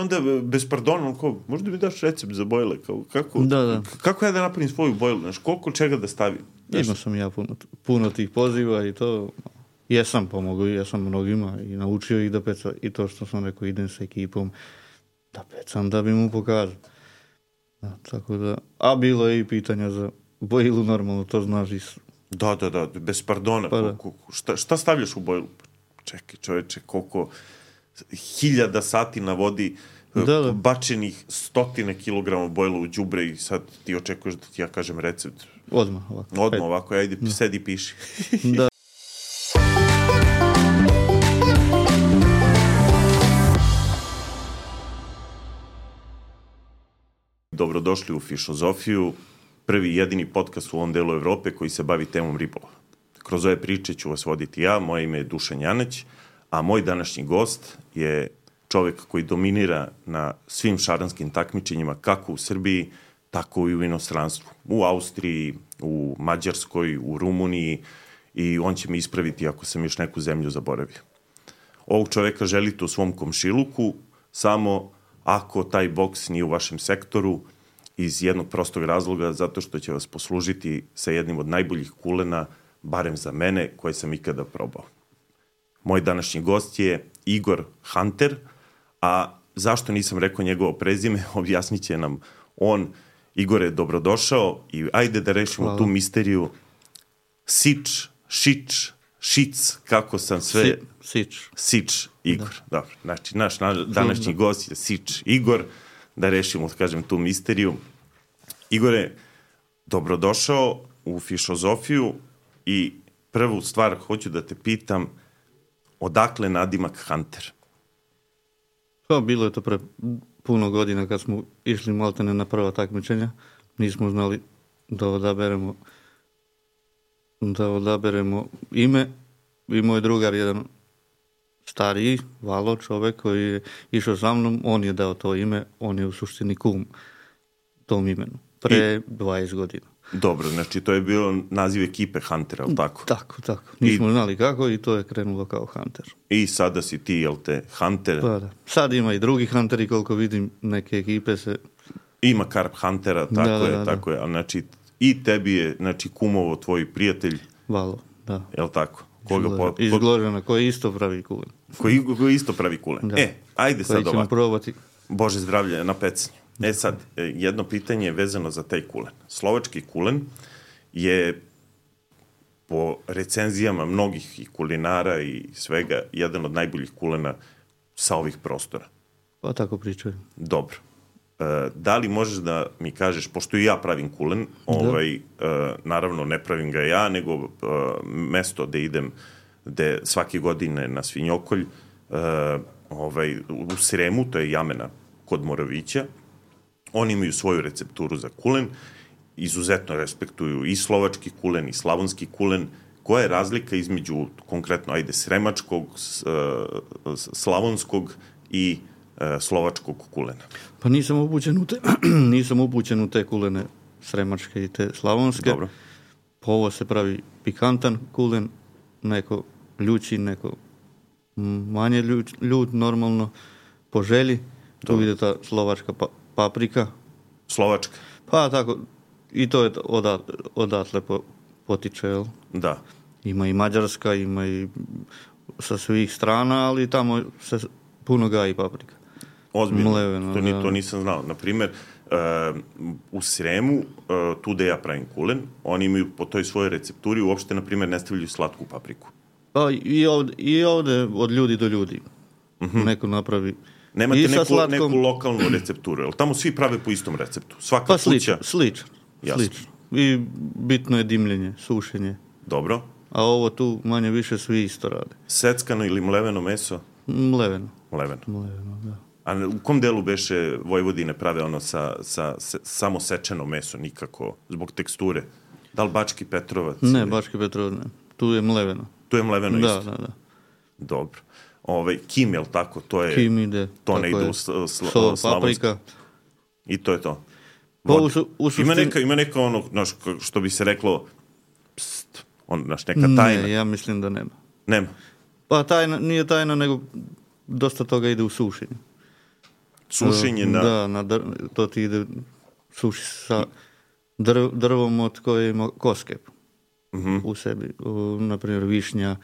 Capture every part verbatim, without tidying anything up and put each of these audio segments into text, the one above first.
onda bez pardona, kao, možda mi daš recept za bojle, kao, kako, da, da. kako ja da napravim svoju bojlu, znaš, koliko čega da stavim? Imao sam ja puno, puno tih poziva i to, jesam pomogao, jesam mnogima i naučio ih da peca, i to što sam rekao, idem sa ekipom da pecam, da bi mu pokazao. Da, tako da, a bilo je i pitanja za bojlu, normalno, to znaš i... Da, da, da, bez pardona, pa da. Koliko, šta, šta stavljaš u bojlu? Čekaj, čoveče, koliko hiljada sati na vodi, da, da. bačenih stotine kilograma bojla u đubre i sad ti očekuješ da ti ja kažem recept. Odmah ovako. Odmah ovako, ajde, da. Sedi, piši. Da. Dobrodošli u Fišozofiju, prvi i jedini podcast u ovom delu Evrope koji se bavi temom ribolova. Kroz ove priče ću vas voditi ja, moje ime je Dušan Janeć, a moj današnji gost je čovek koji dominira na svim šaranskim takmičenjima, kako u Srbiji, tako i u inostranstvu. U Austriji, u Mađarskoj, u Rumuniji, i on će me ispraviti ako sam još neku zemlju zaboravio. Ovog čoveka želite u svom komšiluku, samo ako taj boks nije u vašem sektoru, iz jednog prostog razloga, zato što će vas poslužiti sa jednim od najboljih kulena, barem za mene, koje sam ikada probao. Moj današnji gost je Igor Hunter, a zašto nisam rekao njegovo prezime, objasnit će nam on. Igor je dobrodošao i ajde da rešimo Hvala. tu misteriju. Sič, Šič, Šic, kako sam sve... Si, sič. Sič, Igor, da. Dobro. Znači, naš današnji gost je Sič Igor, da rešimo, da kažem, tu misteriju. Igore, dobrodošao u Fišozofiju i prvu stvar hoću da te pitam, odakle nadimak Hunter? Pa, bilo je to pre puno godina kad smo išli maltene na prva takmičenja. Nismo znali da odaberemo da odaberemo ime. I moj drugar, jedan stariji, Valo, čovek koji je išao sa mnom, on je dao to ime, on je u suštini kum tom imenu. Pre I, dvadeset godina. Dobro, znači to je bilo naziv ekipe Hunter, je li tako? Tako, tako. Nismo I, znali kako i to je krenulo kao Hunter. I sada si ti, jel te, Hunter? Pa da. Sad ima i drugi Hunteri, koliko vidim, neke ekipe se... Ima Karp Huntera, tako da, je, da, tako da. je. A znači, i tebi je, znači, kumovo tvoj prijatelj. Valo, da. Jel tako? Koga po, iz Gložana, koji isto pravi kulen. Koji, koji isto pravi kulen. Da. E, ajde sad ovako. Probati. Bože zdravlje na pecanju. E sad, jedno pitanje je vezano za taj kulen. Slovački kulen je po recenzijama mnogih i kulinara i svega jedan od najboljih kulena sa ovih prostora. Pa tako pričaju. Dobro. E, da li možeš da mi kažeš, pošto i ja pravim kulen, ovaj, e, naravno ne pravim ga ja, nego e, mesto gde idem, gde svake godine na Svinjokolj, e, ovaj, u Sremu, to je Jamena kod Moravića, oni imaju svoju recepturu za kulen, izuzetno respektuju i slovački kulen i slavonski kulen. Koja je razlika između konkretno, ajde, sremačkog, slavonskog i slovačkog kulena? Pa nisam upućen u te, nisam upućen u te kulene sremačke i te slavonske. Dobro. Po ovo se pravi pikantan kulen, neko ljući, neko manje ljuć, ljut, normalno, po želji. Tu Dobro. Ide ta slovačka pa, paprika. Slovačka? Pa tako, i to je odat, odatle po, potiče, jel? Da. Ima i mađarska, ima i sa svih strana, ali tamo se puno gaji paprika. Ozbiljno, Mleveno, to, ni, to nisam znao. Naprimer, uh, u Sremu, uh, tu da ja pravim kulen, oni imaju po toj svojoj recepturi, uopšte, naprimer, ne stavljaju slatku papriku. Pa i ovde, i ovde od ljudi do ljudi. Uh-huh. Neko napravi... Nemate neku, slatkom... neku lokalnu recepturu, ali tamo svi prave po istom receptu. Svaka pa kuća... slično, slično. slično. I bitno je dimljenje, sušenje. Dobro. A ovo tu manje više svi isto rade. Seckano ili mleveno meso? Mleveno. Mleveno. Mleveno, da. A u kom delu beše Vojvodine prave ono sa, sa se, samo sečeno meso, nikako, zbog teksture? Da li Bački Petrovac? Ne, Bački Petrovac ne. Tu je mleveno. Tu je mleveno da, isto? Da, da. Dobro. Ove, kim, jel tako? To je, kim ide. To ne ide je. u sl, sl, Sol, paprika. I to je to. Pa, u, su, u ima, neka, ima neka ono, naš, što bi se reklo, pst, on, naš, neka tajna. Ne, ja mislim da nema. Nema? Pa tajna, nije tajna, nego dosta toga ide u sušenju. Sušenje na... Da, na dr... to ti ide suši sa drv... drvom od koje ima koske uh-huh. u sebi. U, naprimjer, višnja,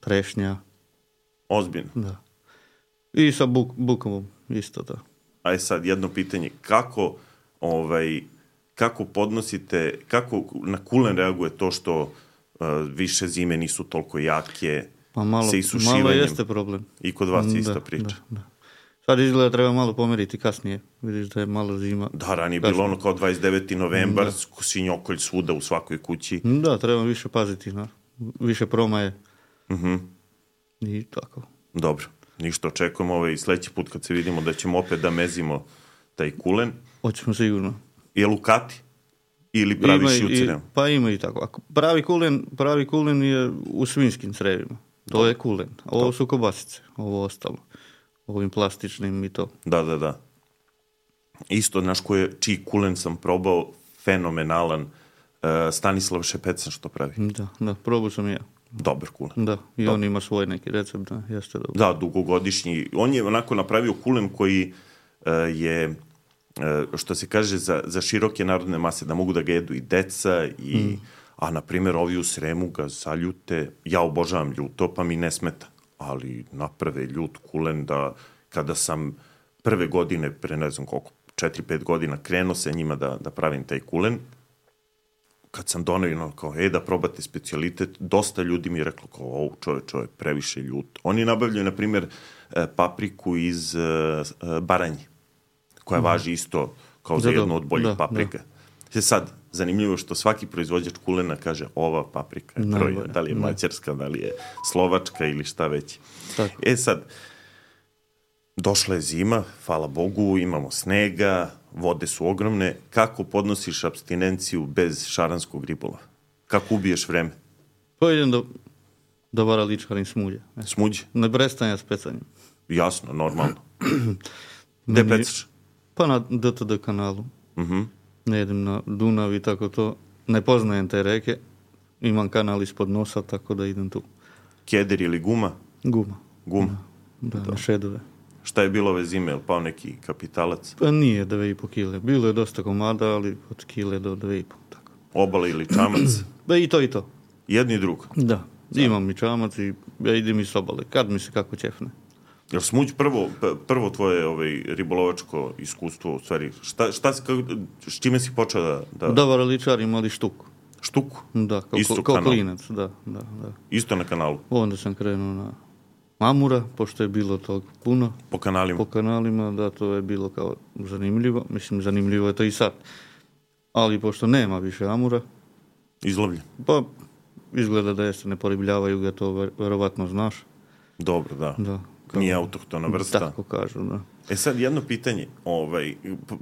trešnja. Ozbiljno. Da. I sa buk, bukovom isto da. Aj sad, jedno pitanje. Kako, ovaj, kako podnosite, kako na kulen reaguje to što uh, više zime nisu toliko jake, pa malo, sa isušivanjem? Malo jeste problem. I kod vas da, ista priča. Da, da. Sad izgleda treba malo pomeriti kasnije. Vidiš da je malo zima. Da, ranije je bilo ono kao dvadeset deveti novembar, svinjokolj svuda u svakoj kući. Da, treba više paziti na više promaje. Uh-huh. I tako. Dobro, ništa, očekujemo ovaj sledeći put kad se vidimo da ćemo opet da mezimo taj kulen. Hoćemo sigurno. Je lukati? Ili praviš i u crevima? Pa ima i tako. Ako pravi kulen, pravi kulen je u svinjskim crevima. To Dobre. je kulen. Ovo Dobre. su kobasice, ovo ostalo. Ovim plastičnim i to. Da, da, da. Isto, znaš koje, čiji kulen sam probao, fenomenalan, uh, Stanislav Šepecan što pravi. Da, da, probao sam i ja. Dobar kulen. Da, i Dobar. On ima svoj neki recept, da, jeste dobro. Da, dugogodišnji. On je onako napravio kulen koji uh, je, uh, što se kaže, za, za široke narodne mase, da mogu da ga jedu i deca, i, mm. a na primjer ovi u Sremu ga zaljute, ja obožavam ljuto, pa mi ne smeta. Ali naprave ljut kulen da kada sam prve godine, pre ne znam koliko, četiri pet godina krenuo se njima da, da pravim taj kulen, kad sam donao kao, e, da probate specijalitet, dosta ljudi mi je reklo kao, o, čoveč, ovo je previše ljut. Oni nabavljaju, na primjer, papriku iz Baranje, koja mm. važi isto kao za jednu od boljih da, paprika. Da. Sad, zanimljivo što svaki proizvođač kulena kaže ova paprika je proj, da li je mađarska, da li je slovačka ili šta već. Tako. E sad, došla je zima, hvala Bogu, imamo snega, vode su ogromne. Kako podnosiš apstinenciju bez šaranskog ribolova? Kako ubiješ vreme? Pa idem do, do varaličkarim smuđe. Smuđe? Ne prestanja s pecanjem. Jasno, normalno. Gde pecaš? Pa na D T D kanalu. Mhm. Uh-huh. Ne idem na Dunav i tako to. Ne poznajem te reke. Imam kanal ispod nosa, tako da idem tu. Keder ili guma? Guma. Guma? Da, da na šedove. Šta je bilo ove zime? Je li pao neki kapitalac? Pa nije dve i po kile. Bilo je dosta komada, ali od kile do dve i po. Tako. Obala ili čamac? Ba i to i to. Jedni i drugo? Da. Imam i čamac i ja idem i s obale. Kad mi se kako ćefne. Jel smuđ prvo, prvo tvoje ovaj, ribolovačko iskustvo, u stvari, šta, šta si, kako, s čime si počeo da... Da, da varaličarim, ali štuku. Štuku? Da, kao, Isto kao kanal. klinac, da, da, da. Isto na kanalu? Onda sam krenuo na Amura, pošto je bilo toliko puno. Po kanalima? Po kanalima, da, to je bilo kao zanimljivo. Mislim, zanimljivo je to i sad. Ali pošto nema više Amura... Izlovljen? Pa, izgleda da jeste, ne poribljavaju ga, to verovatno znaš. Dobro, da. Da. Nije autohtona vrsta. Tako kažu, da. E sad, jedno pitanje, ovaj,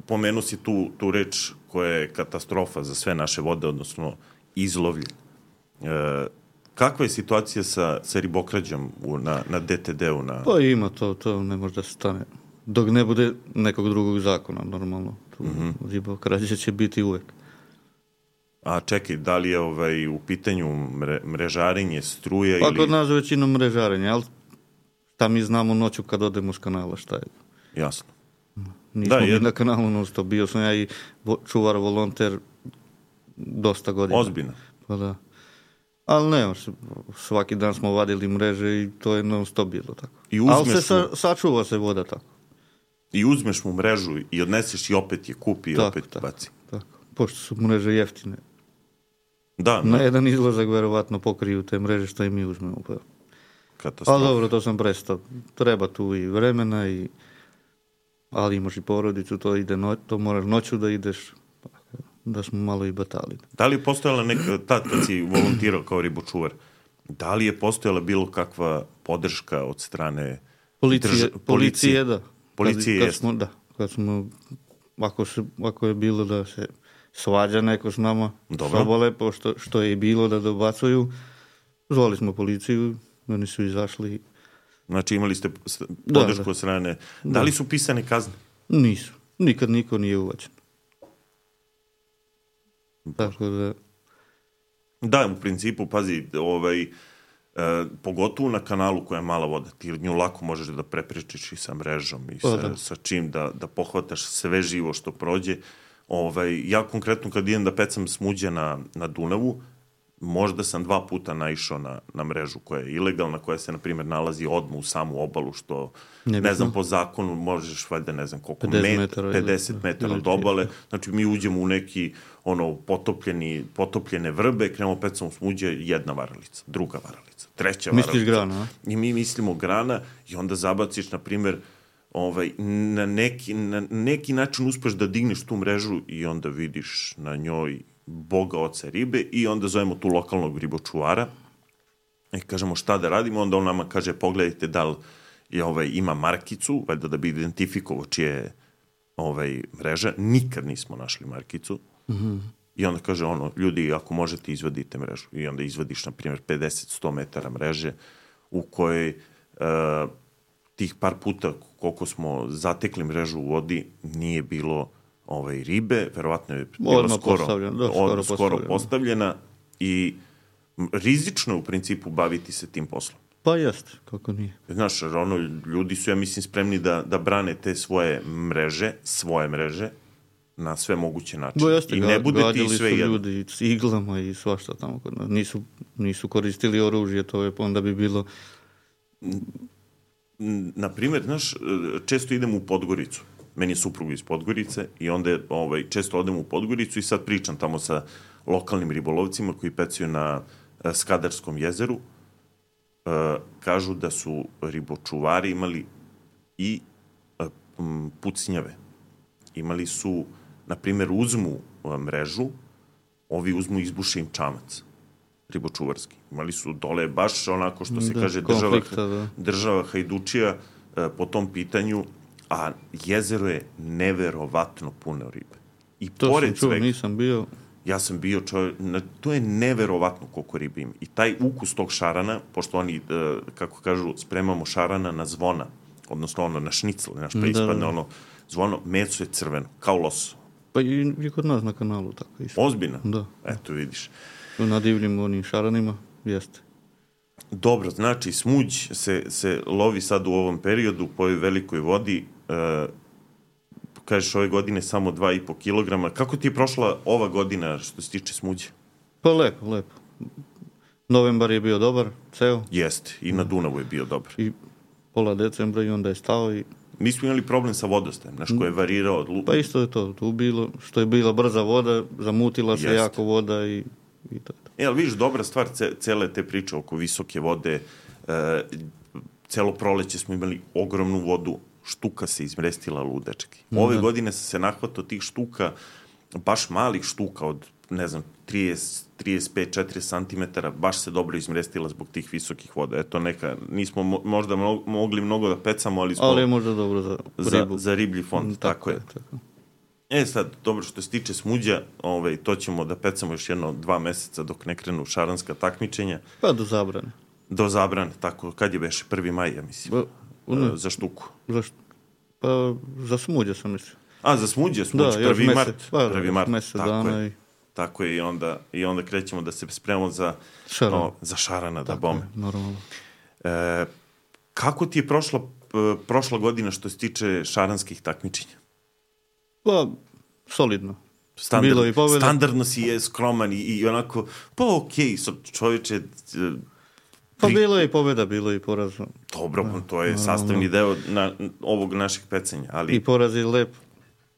pomenu si tu, tu reč koja je katastrofa za sve naše vode, odnosno izlovljen. E, kakva je situacija sa, sa ribokrađom u, na, na D T D-u? Na... Pa ima to, to ne može da se stane. Dok ne bude nekog drugog zakona, normalno. Tu mm-hmm. ribokrađa će biti uvek. A čekaj, da li je ovaj, u pitanju mre, mrežarenje, struja pa, ili... Pa kod nas većinom mrežarenje, ali šta mi znamo noću kad odemo s kanala, šta je? Jasno. Nismo da, mi jed... na kanalu non-stop. Bio sam ja i vo, čuvar, volonter dosta godina. Ozbiljno. Pa da. Ali ne, svaki dan smo vadili mreže i to je non-stop bilo tako. Ali se sa, sačuva se voda tako. I uzmeš mu mrežu i odneseš i opet je kupi i tako, opet tako, baci. Tako, pošto su mreže jeftine. Da. Na ne. jedan izlazak verovatno pokriju te mreže što i mi uzmemo. Pa. Katastrofa. Ali dobro, to sam prestao. Treba tu i vremena, i... ali imaš i porodicu, to, ide no... to moraš noću da ideš, da smo malo i batali. Da li je postojala neka, tad kad si volontirao kao ribočuvar, da li je postojala bilo kakva podrška od strane policije? Drž... Policije, policije, da. Policije kad, kad smo, da. Kad smo, ako, se, ako je bilo da se svađa neko s nama, sobole, pošto što je i bilo da dobacuju, zvali smo policiju, oni su izašli. Znači imali ste podršku od strane. Da. da li su pisane kazne? Nisu. Nikad niko nije uvađen. Tako da... Da, u principu, pazi, ovaj, E, pogotovo na kanalu koja je mala voda. Ti nju lako možeš da prepričiš i sa mrežom i sa, da. sa čim da, da pohvataš sve živo što prođe. Ovaj, ja konkretno kad idem da pecam smuđe na, na Dunavu, možda sam dva puta naišao na, na mrežu koja je ilegalna, koja se, na primjer, nalazi odmah u samu obalu, što, ne, ne znam, po zakonu možeš, valjda, ne znam koliko, pedeset metara, pedeset metara od obale. Znači, mi uđemo u neki, ono, potopljeni, potopljene vrbe, krenemo pecamo smuđe, jedna varalica, druga varalica, treća varalica. Misliš grana, a? I mi mislimo grana i onda zabaciš, na primjer, ovaj, na, neki, na neki način uspeš da digneš tu mrežu i onda vidiš na njoj Boga oca ribe i onda zovemo tu lokalnog ribočuvara i kažemo šta da radimo, onda on nama kaže pogledajte da li je, ovaj, ima markicu, valjda da bi identifikovao čije je ovaj, mreža. Nikad nismo našli markicu. Mm-hmm. I onda kaže ono, ljudi, ako možete izvadite mrežu. I onda izvadiš, na primjer, pedeset do sto metara mreže u kojoj uh, tih par puta koliko smo zatekli mrežu u vodi nije bilo ovaj, ribe, verovatno je bila skoro, da, skoro, od, skoro postavljena. postavljena i rizično je u principu baviti se tim poslom. Pa jeste, kako nije. Znaš, ono, ljudi su, ja mislim, spremni da, da brane te svoje mreže, svoje mreže, na sve moguće načine. Bo jeste, I ne bude ti sve jedno. Ljudi i s iglama i svašta tamo kod nas. Nisu, nisu koristili oružje, to je onda bi bilo... Na primjer, znaš, često idem u Podgoricu. Meni je suprug iz Podgorice i onda ovaj, često odem u Podgoricu i sad pričam tamo sa lokalnim ribolovcima koji pecaju na uh, Skadarskom jezeru. Uh, kažu da su ribočuvari imali i uh, pucnjave. Imali su, na primjer, uzmu uh, mrežu, ovi uzmu i izbuše im čamac ribočuvarski. Imali su dole baš onako što se da, kaže država, da. država hajdučija uh, po tom pitanju, a jezero je neverovatno puno ribe. I to pored sam čuo, svega, nisam bio. Ja sam bio čovjek, to je neverovatno koliko ribe ima. I taj ukus tog šarana, pošto oni, kako kažu, spremamo šarana na zvona, odnosno ono na šnicl, naš preispadne, da, da. ono zvono, meso je crveno, kao loso. Pa i, i kod nas na kanalu tako isto. Ozbiljno? Da. Eto, vidiš. Na divljim onim šaranima, jeste. Dobro, znači, smuđ se, se lovi sad u ovom periodu po ovoj velikoj vodi, e, kažeš ove godine samo dva i po kilograma. Kako ti je prošla ova godina što se tiče smuđe? Pa lepo, lepo. Novembar je bio dobar, ceo. Jeste, i na Dunavu je bio dobar. I pola decembra i onda je stao i... Mi smo imali problem sa vodostajem, znaš, ko je varirao od lupa. Pa isto je to, tu bilo, što je bila brza voda, zamutila se Jeste. jako voda i, i to. E, ali vidiš, dobra stvar ce, cele te priče oko visoke vode, e, celo proleće smo imali ogromnu vodu, štuka se izmrestila ludečki. Ove da. godine sam se nahvatao tih štuka, baš malih štuka od, ne znam, trideset, trideset pet, četrdeset centimetara, baš se dobro izmrestila zbog tih visokih voda. Eto neka, nismo mo, možda mo, mogli mnogo da pecamo, ali smo... Ali je možda dobro za ribu. Za, za riblji fond, tako, tako je. Tako. E sad, dobro, što se tiče smuđa, ovaj, to ćemo da pecamo još jedno dva meseca dok ne krenu šaranska takmičenja. Pa do zabrane. Do zabrane, tako, kad je beše, prvi maj, ja mislim, ba, ne, za štuku. Za št... Pa za smuđa sam mislio. A, za smuđa, smuđ, da, prvi mart. Pa, prvi mart, mesec tako dana je. I... Tako je, i onda, i onda krećemo da se spremamo za šarana, no, za šarana da bome. Je, normalno. E, kako ti je prošla, prošla godina što se tiče šaranskih takmičenja? Pa, solidno. Standard, bilo i pobjeda. Standardno si je skroman i, i onako, pa okej, okay, čovječe... Pri... Pa bilo je i pobjeda, bilo je i poraz. Dobro, da, to je sastavni deo na, ovog našeg pecanja, ali... I poraz je lep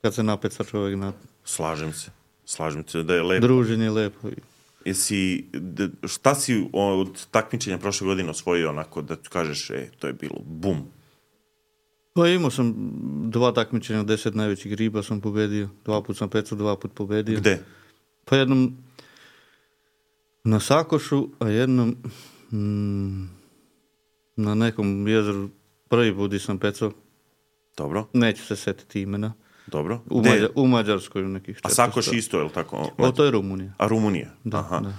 kad se napeca čovjek na... Slažem se. Slažem se da je lepo. Druženje je lepo. Jesi, šta si od takmičenja prošle godine osvojio onako da kažeš, e, to je bilo bum? Pa imao sam dva takmičenja, deset najvećih riba sam pobedio. Dva put sam pecao, dva put pobedio. Gde? Pa jednom na Sakošu, a jednom mm, na nekom jezeru prvi put sam pecao. Dobro. Neću se setiti imena. Dobro. U, Mađar, u Mađarskoj u nekih četiristo. A Sakoš isto, je li tako? O, to je Rumunija. A Rumunija? Da, Aha. da.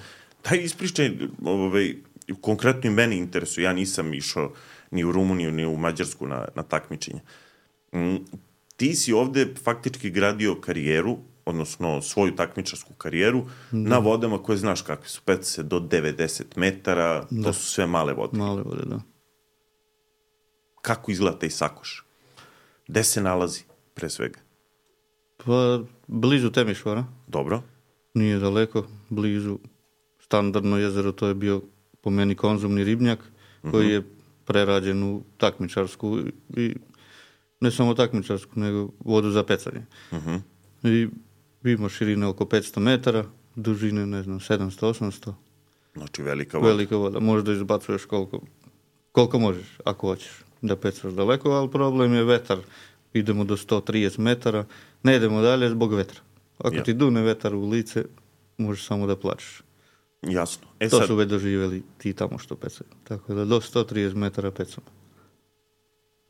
Daj ispričaj, ovaj, konkretno i meni interesuje, ja nisam išao ni u Rumuniju, ni u Mađarsku na, na takmičenje. Mm, ti si ovde faktički gradio karijeru odnosno svoju takmičarsku karijeru, da. Na vodama koje znaš kakve su, peca se do devedeset metara, da. To su sve male vode. Male vode, da. Kako izgleda taj Sakoš? Gde se nalazi, pre svega? Pa, blizu Temišvara. Dobro. Nije daleko, blizu standardno jezero, to je bio po meni konzumni ribnjak, koji uh-huh. je prerađen u takmičarsku i ne samo takmičarsku, nego vodu za pecanje. Uh-huh. I ima širine oko petsto metara, dužine, ne znam, sedamsto osamsto. Znači velika voda. Velika voda. Možda izbacuješ koliko, koliko možeš, ako hoćeš da pecaš daleko, ali problem je vetar. Idemo do sto trideset metara, ne idemo dalje zbog vetra. Ako ja. Ti dune vetar u lice, možeš samo da plačeš. Jasno. E to sad... su već doživjeli ti tamo što pecaju. Tako da do sto trideset metara pecamo.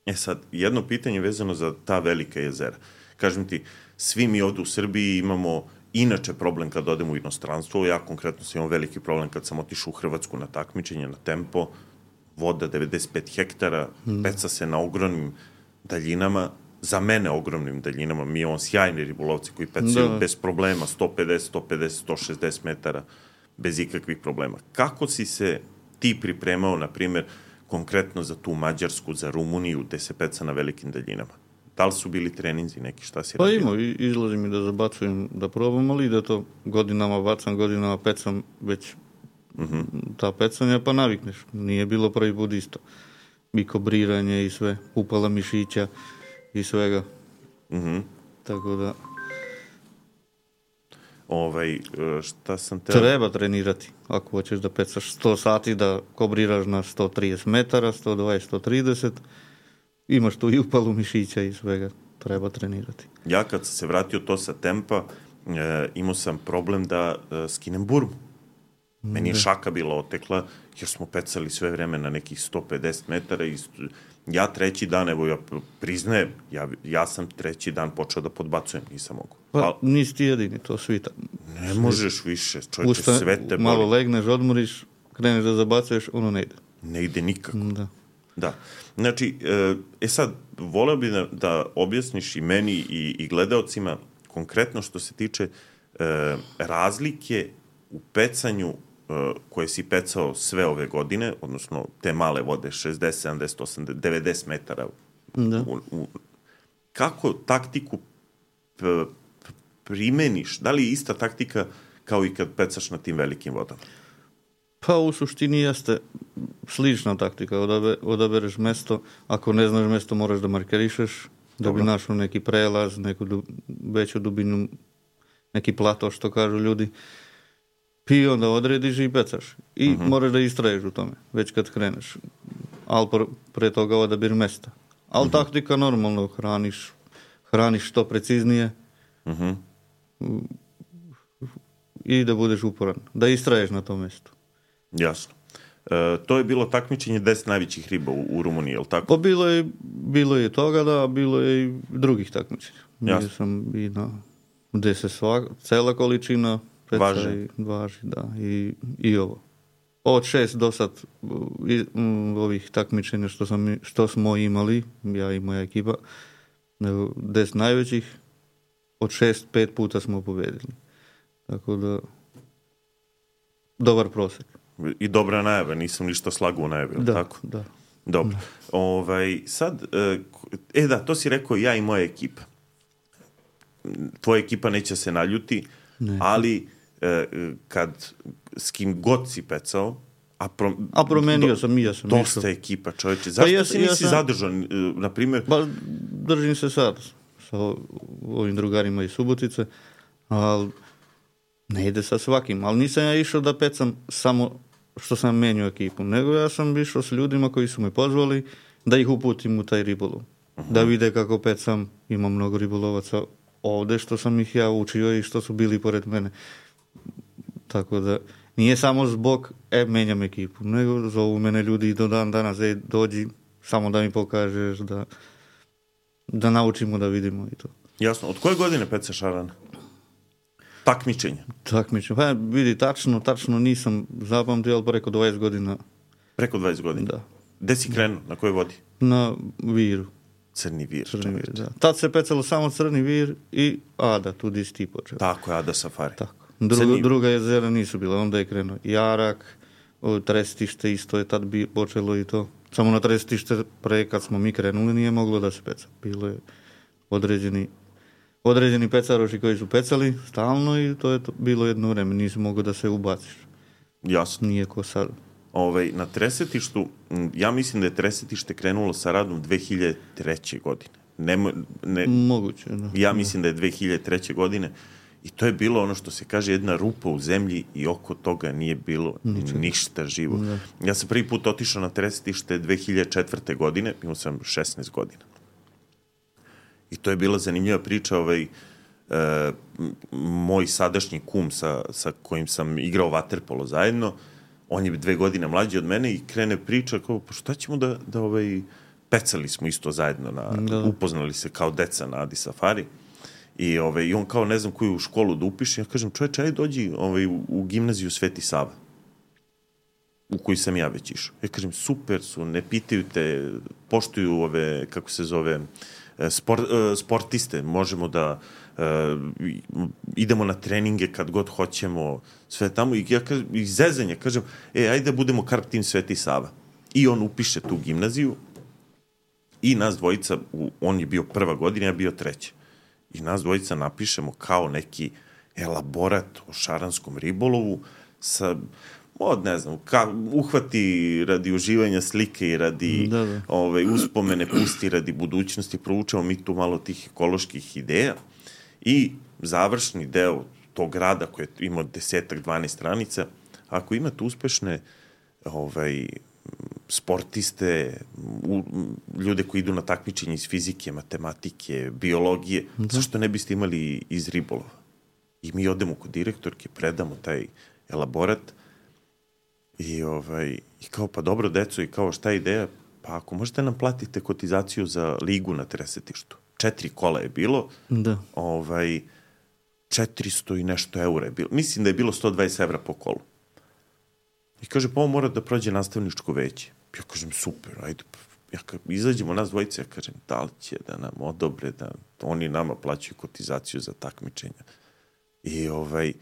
E sad, jedno pitanje vezano za ta velika jezera. Kažem ti, svi mi ovdje u Srbiji imamo inače problem kad odemo u inostranstvo. Ja konkretno sam imao veliki problem kad sam otišao u Hrvatsku na takmičenje, na tempo. Voda devedeset pet hektara, hmm. peca se na ogromnim daljinama. Za mene ogromnim daljinama. Mi imamo sjajni ribolovci koji pecaju da. Bez problema, sto pedeset, sto pedeset, sto šezdeset metara, bez ikakvih problema. Kako si se ti pripremao, na primjer, konkretno za tu Mađarsku, za Rumuniju, gde se peca na velikim daljinama? Da li su bili treninzi neki, šta si pa radio? Pa ima, izlazim i da zabacujem, da probam, ali da to godinama bacam, godinama pecam već uh-huh. ta pecanja, pa navikneš. Nije bilo prvi put isto. I kobriranje i sve, upala mišića i svega. Uh-huh. Tako da... Ovaj, šta sam te... Treba trenirati. Ako hoćeš da pecaš sto sati, da kobriraš na sto trideset metara, sto dvadeset, sto trideset, imaš tu i upalu mišića i svega. Treba trenirati. Ja kad sam se vratio to sa tempa, e, imao sam problem da e, skinem burmu. Meni je šaka bila otekla, jer smo pecali sve vreme na nekih sto pedeset metara i ja treći dan, evo ja priznajem, ja, ja sam treći dan počeo da podbacujem, nisam mogu. Pa, pa nisi ti jedini, to svi tamo. Ne svi. Možeš više, čovječe, Usta, sve te boli. Malo legneš, odmoriš, kreneš da zabacuješ, ono ne ide. Ne ide nikako. Da. Da. Znači, e sad, voleo bi da, da objasniš i meni i, i gledaocima konkretno što se tiče e, razlike u pecanju koje si pecao sve ove godine, odnosno te male vode, šezdeset, sedamdeset, osamdeset, devedeset metara. Da. U, u, kako taktiku p, p, primeniš? Da li je ista taktika kao i kad pecaš na tim velikim vodama? Pa u suštini jeste slična taktika. Odabe, odabereš mesto. Ako ne znaš mesto, moraš da markerišeš, da Dobro. Bi našao neki prelaz, neku du, veću dubinu, neki plato, što kažu ljudi. I onda odrediš i pecaš. I uh-huh. moraš da istraješ u tome, već kad kreneš. Ali pre toga odabir mesta. Ali uh-huh. taktika normalno, hraniš, hraniš što preciznije uh-huh. i da budeš uporan. Da istraješ na tom mestu. Jasno. E, to je bilo takmičenje deset najvećih riba u, u Rumuniji, je li tako? Pa bilo je, bilo je toga, da, bilo je i drugih takmičenja. Jasno. Sam i na, gde se sva, cela količina važi. Važi, da. I, i ovo. Od šest do sad i, m, ovih takmičenja što, sam, što smo imali, ja i moja ekipa, deset najvećih, od šest, pet puta smo pobedili. Tako da, dobar prosek. I dobra najava, nisam ništa slagao najave, da, tako? Da, Dobro. Da. Ovaj, sad, e da, to si rekao ja i moja ekipa. Tvoja ekipa neće se naljuti, ne. Ali e, kad s kim god si pecao, a, pro, a promenio do, sam i ja sam dosta išao. Ekipa, čovječe. Zašto pa ja, si nisi ja sam, zadržan, na primjer? Ba, držim se sad sa ovim drugarima iz Subotice, ali ne ide sa svakim. Ali nisam ja išao da pecam samo što sam menio ekipu, nego ja sam išao s ljudima koji su me pozvali da ih uputim u taj ribolov. Uh-huh. Da vide kako pecam, ima mnogo ribolovaca ovde što sam ih ja učio i što su bili pored mene. Tako da nije samo zbog e, menjam ekipu, nego zovu mene ljudi do dan danas, e, dođi, samo da mi pokažeš, da, da naučimo, da vidimo i to. Jasno. Od koje godine pecaš šarana? Takmičenje? Takmičenje. Pa vidi, tačno, tačno nisam zapamtio, ali preko dvadeset godina. Preko dvadeset godina? Da. Gde si krenuo? Na kojoj vodi? Na Viru. Crni vir. Crni vir, da. Tad se pecalo samo Crni vir i Ada, tu di si ti počeo. Tako je, Ada Safari. Tako. Druga, Crni... druga jezera nisu bila, onda je krenuo Jarak, Trestište isto je tad bi počelo i to. Samo na Trestište pre kad smo mi krenuli nije moglo da se peca. Bilo je određeni, određeni pecaroši koji su pecali stalno i to je to bilo jedno vreme. Nisi mogao da se ubaciš. Jasno. Nije ko sad. Ove, na Tresetištu, ja mislim da je Tresetište krenulo sa radom dve hiljade treće. godine. Ne, ne, Moguće, da. Ja mislim da je dve hiljade treće. godine i to je bilo ono što se kaže jedna rupa u zemlji i oko toga nije bilo Ničeg. ništa živo. Da. Ja sam prvi put otišao na Tresetište dve hiljade četvrte. godine, imao sam šesnaest godina. I to je bila zanimljiva priča, ovaj, e, moj sadašnji kum sa, sa kojim sam igrao vaterpolo zajedno, on je dve godine mlađi od mene i krene priča kao, pa šta ćemo da, da ovaj, pecali smo isto zajedno, na, da. upoznali se kao deca na Adi Safari. I, ovaj, i on kao ne znam koju školu da upiše, ja kažem, čoveče, ajde dođi ovaj, u, u gimnaziju Sveti Sava, u koju sam ja već išao. Ja kažem, super su, ne pitaju te, poštuju ove, kako se zove, sport, sportiste, možemo da uh, idemo na treninge kad god hoćemo, sve tamo. I ja kažem, i zezanje, kažem, e, ajde da budemo Karp tim Sveti Sava. I on upiše tu gimnaziju i nas dvojica, on je bio prva godina, ja bio treća. I nas dvojica napišemo kao neki elaborat o šaranskom ribolovu sa, od ne znam, ka, uhvati radi uživanja slike i radi da, da. Ove, uspomene, pusti radi budućnosti, proučamo mi tu malo tih ekoloških ideja i završni deo tog rada koji je imao desetak, dvanaest stranica, ako imate uspešne ovaj, sportiste, u, ljude koji idu na takmičenje iz fizike, matematike, biologije, da. Zašto ne biste imali iz ribolova? I mi odemo kod direktorke, predamo taj elaborat i, ovaj, i kao, pa dobro, deco, i kao, šta je ideja? Pa ako možete nam platite kotizaciju za ligu na Tresetištu. Četiri kola je bilo, da. Ovaj, četiristo i nešto eura je bilo. Mislim da je bilo sto dvadeset evra po kolu. I kaže, pa ovo mora da prođe nastavničko veće. Ja kažem, super, ajde, ja ka, izađemo nas dvojice, ja kažem, da li će da nam odobre, da oni nama plaćaju kotizaciju za takmičenja. I ovaj,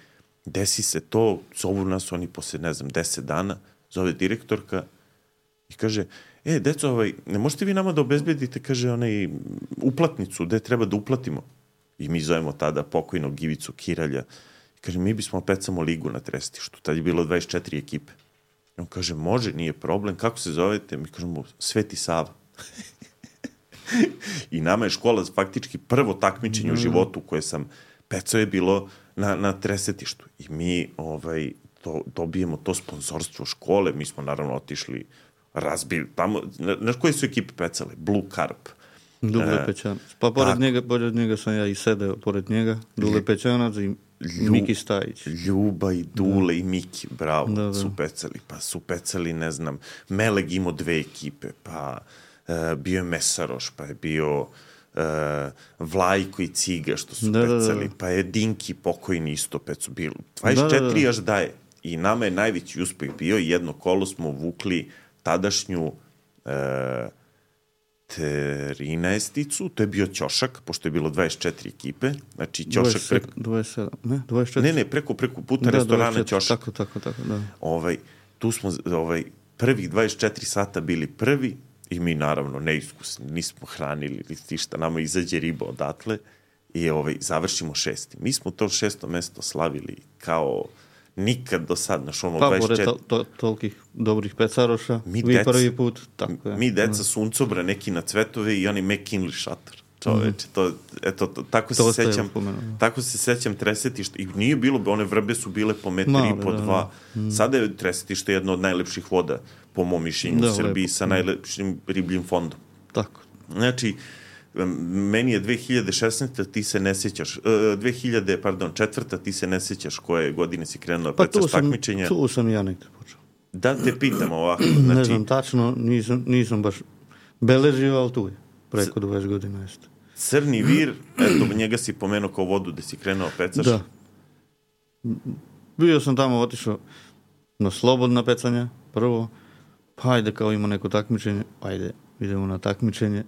desi se to, zovu nas oni posle, ne znam, deset dana, zove direktorka i kaže, e, deco, ovaj, ne možete vi nama da obezbedite, kaže, onaj, uplatnicu, gde treba da uplatimo? I mi zovemo tada pokojnog Givicu Kiralja. I kaže, mi bismo pecamo ligu na Tresetištu. Tad je bilo dvadeset četiri ekipe. I on kaže, može, nije problem. Kako se zovete? Mi kažemo, Sveti Sava. I nama je škola faktički prvo takmičenje mm. u životu koje sam pecao je bilo na, na Tresetištu. I mi ovaj, to, dobijemo to sponsorstvo škole. Mi smo naravno otišli, razbili tamo. Znaš koje su ekipe pecale? Blue Carp. Dule e, Pećanac. Pa pored njega, pored njega sam ja i sedeo, pored njega. Dule Pećanac i Lju, Miki Stajić. Ljuba i Dule da. i Miki, bravo, da, da. su pecali. Pa su pecali, ne znam, Meleg imao dve ekipe, pa uh, bio je Mesaroš, pa je bio uh, Vlajko i Ciga, što su da, pecali, da, da. Pa je Dinki pokojni isto pecu bilo. dvadeset četiri da, da, da. Až daje. I nama je najveći uspeh bio, jedno kolo smo vukli tadašnju uh, trinaesticu, to je bio ćošak, pošto je bilo dvadeset četiri ekipe, znači ćošak preko... dvadeset sedam, ne, dvadeset četiri. Ne, ne, preko, preko puta da, restorana dvadeset četiri, ćošak. Tako, tako, tako, da. Ovaj, tu smo ovaj, prvih dvadeset četiri sata bili prvi i mi naravno neiskusni, nismo hranili ili ništa, nama izađe riba odatle i ovaj, završimo šesti. Mi smo to šesto mesto slavili kao nikad do sad, naš ono pa, dvadeset četiri... Pa, pored to, to, tolikih dobrih pecaroša, mi vi deca, prvi put, tako je. Mi deca suncobra, neki na cvetove i oni McKinley šator. Čoveče, to, eto, to, tako to se sećam, tako se sećam Tresetišta. I nije bilo, one vrbe su bile po metri i po dva. Da. Sada je Tresetište jedno od najlepših voda, po mom mišljenju, da, u Srbiji, lepo. Sa najlepšim ribljim fondom. Tako. Znači, meni je dve hiljade šesnaeste ti se ne sjećaš, dve hiljade, pardon, četvrta ti se ne sjećaš koje godine si krenuo da pecaš takmičenja. Pa tu sam ja nekde počeo. Da te pitam ovako. Znači, ne znam tačno, nisam, nisam baš beležio, ali tu je, preko dvadeset godina jeste. Crni vir, eto, njega si pomenuo kao vodu gde si krenuo pecaš. Da. Bio sam tamo, otišao na slobodna pecanja, prvo, pa ajde kao ima neko takmičenje, ajde, idemo na takmičenje.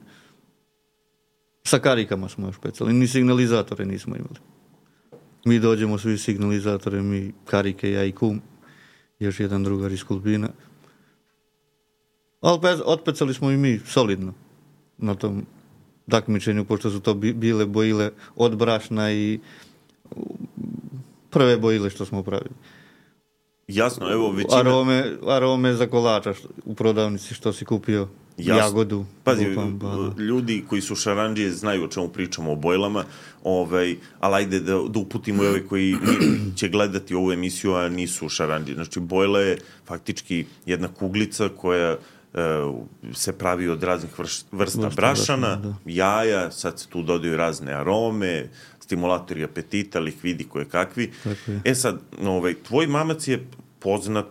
Sa karikama smo još pecali, ni signalizatore nismo imali. Mi dođemo svi signalizatore, mi karike, ja i kum, još jedan drugar iz Kulbina. Ali pe- otpecali smo i mi solidno na tom takmičenju, pošto su to bi- bile bojile od brašna i prve bojile što smo pravili. Jasno, evo većina... Arome, arome za kolača što, u prodavnici što si kupio. Jasno. Jagodu. Pazi, lupam, ljudi koji su šarandžije znaju o čemu pričamo o bojlama, ovaj, ali ajde da, da uputimo i ove koji će gledati ovu emisiju, a nisu šarandžije. Znači, bojla je faktički jedna kuglica koja uh, se pravi od raznih vrsta, vrsta brašana, brašana jaja, sad se tu dodaju razne arome, stimulatori apetita, likvidi koje kakvi. E sad, ovaj, tvoj mamac je poznat,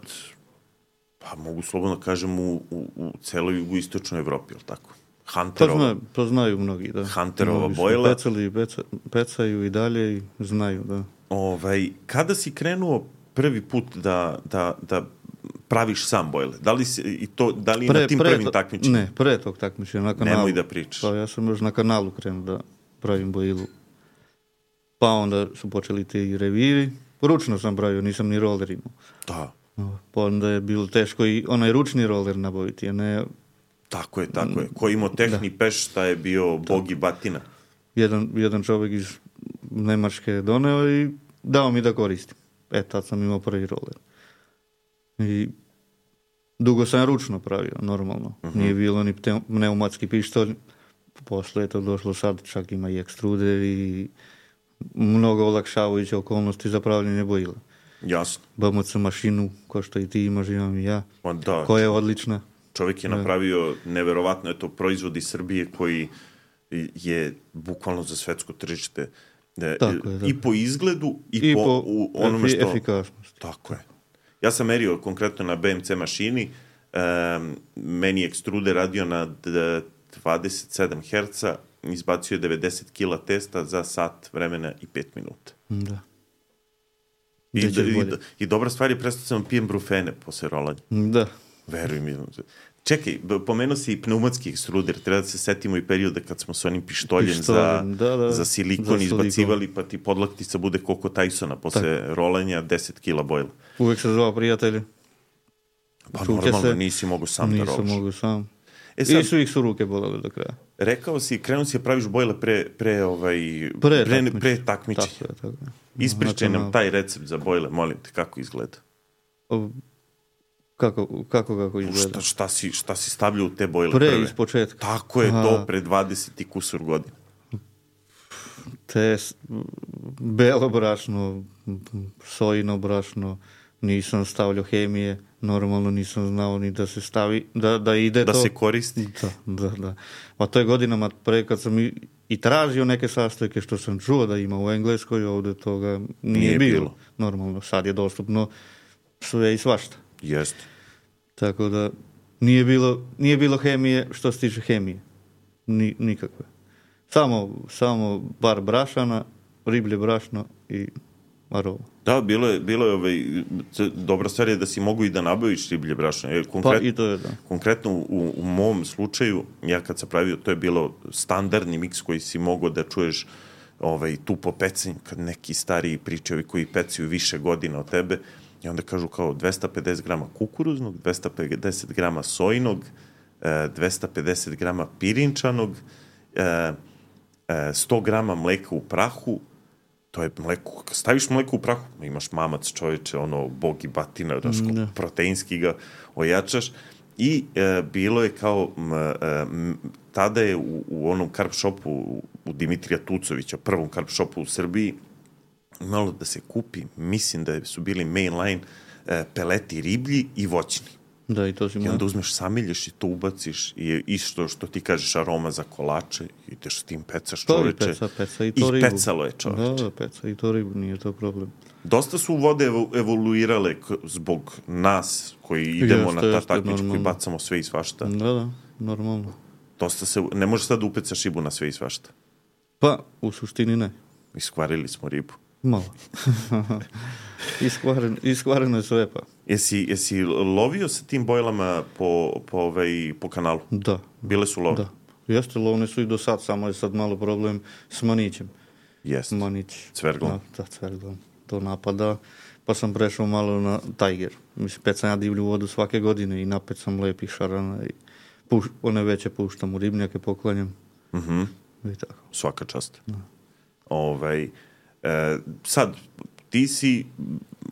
pa mogu slobodno kažem, u, u, u celoj jugoistočnoj Evropi, je li tako? Hunterova. To, zna, to znaju mnogi, da. Hunterova mnogi bojla. Pecali, peca, pecaju i dalje i znaju, da. Ovaj, kada si krenuo prvi put da, da, da praviš sam bojle? Da li, si, i to, da li pre, na tim pre prvim to, takmičenjima? Ne, pre tog takmičenja na kanalu. Nemoj da pričaš. Pa ja sam još na kanalu krenuo da pravim bojilu. Pa onda su počeli ti revivi. Ručno sam pravio, nisam ni roller imao. Da. Pa onda je bilo teško i onaj ručni roller nabaviti, a ne... Tako je, tako je. Ko imao tehni da. Peš, šta je bio bog i batina. Jedan, jedan čovjek iz Nemačke je doneo i dao mi da koristim. E, tad sam imao prvi roller. I dugo sam ručno pravio, normalno. Uh-huh. Nije bilo ni pneumatski pištolj. Posle je to došlo, sad čak ima i ekstruder i mnogo olakšavajuće okolnosti za pravljanje bojila. Jasno. B M C mašinu, ko što i ti imaš, imam i ja, da, koja je odlična. Čovjek je napravio, neverovatno je to proizvod iz Srbije koji je bukvalno za svetsko tržište. Tako je, da. I po izgledu, i, I po, po u onome što... efikasnosti. Tako je. Ja sam merio konkretno na B M C mašini, um, meni je ekstruder radio na dvadeset sedam herca, izbacio je devedeset kila testa za sat vremena i pet minuta. Da. I, i, i, I dobra stvar je, prestao sam pijem brufene posle rolanja. Da. Veruj mi. Čekaj, pomenuo si i pneumatski ekstruder, treba da se setimo i perioda kad smo s onim pištoljem, pištoljem za, da, da, za silikon za izbacivali, pa ti podlaktica bude koliko Tysona posle tak. rolanja, deset kila bojla. Uvek se zvao prijatelji. Pa Čuke normalno, se. Nisi mogu sam Nisam da roliš. Nisam mogu sam. E sad, I su ih su ruke bolele do kraja. Rekao si, krenuo si da praviš bojle pre, pre, ovaj, pre, pre, takmič. pre takmičenja. Tako je, tako je. Ispričaj nam taj recept za bojle, molim te, kako izgleda? O, kako, kako, kako izgleda? Šta, šta, si, šta si stavljao u te bojle pre, prve? Iz početka. Tako je, to pre dvadeset i kusur godina. Te belo brašno, sojino brašno, nisam stavljao hemije, normalno nisam znao ni da se stavi, da, da ide da to. Da se koristi. Da, da, da. A to je godinama pre kad sam i, i tražio neke sastojke što sam čuo da ima u Engleskoj, ovde toga nije, nije bilo. bilo. Normalno, sad je dostupno sve i svašta. Jeste. Tako da nije bilo, nije bilo hemije što se tiče hemije. Ni, nikakve. Samo, samo bar brašana, riblje brašno i aroma. Da, bilo je, bilo je ovaj, dobra stvar je da si mogu i da nabaviš riblje brašno. Konkret, pa i to je, da. Konkretno u, u mom slučaju, ja kad sam pravio, to je bilo standardni miks koji si mogao da čuješ ovaj, tu po pecanju, kad neki stariji pričaju koji pecaju više godina od tebe, i onda kažu kao dvesta pedeset grama kukuruznog, dvesta pedeset grama sojinog, dvesta pedeset grama pirinčanog, sto grama mleka u prahu. To je mleko, kad staviš mleko u prahu, imaš mamac, čoveče, ono, bog i batina, daš, mm, proteinski ga ojačaš. I e, bilo je kao, m, m, tada je u, u onom carb shopu, u, u Dimitrija Tucovića, prvom carb shopu u Srbiji, imalo da se kupi, mislim da su bili mainline e, peleti riblji i voćni. Da, i to si I onda uzmeš, samilješ i to ubaciš i isto što ti kažeš aroma za kolače, ideš s tim pecaš, čoveče. To i peca, peca i to ribu. I pecalo je, čoveče. Da, peca i to ribu, nije to problem. Dosta su vode evoluirale zbog nas koji idemo jeste, na ta takmičku koji bacamo sve i svašta. Da, da, normalno. Dosta se, ne možeš sad da upecaš ribu na sve i svašta. Pa, u suštini ne. Iskvarili smo ribu. Malo. Iskvaren, iskvareno je sve, pa. Jesi, jesi lovio sa tim bojlama po, po, ovaj, po kanalu? Da. Bile su love? Da, Jeste, lovne su i do sad, samo je sad malo problem s Manićem. Jeste. Manić. Cverglom. Da, da, Cverglom. To napada. Pa sam prešao malo na Tiger. Mislim, pecam ja divlju vodu svake godine i napet sam lepih šarana i puš, one veće puštam u ribnjake, poklanjam. Mhm. I tako. Svaka čast. Da. Ovaj, e, sad, ti si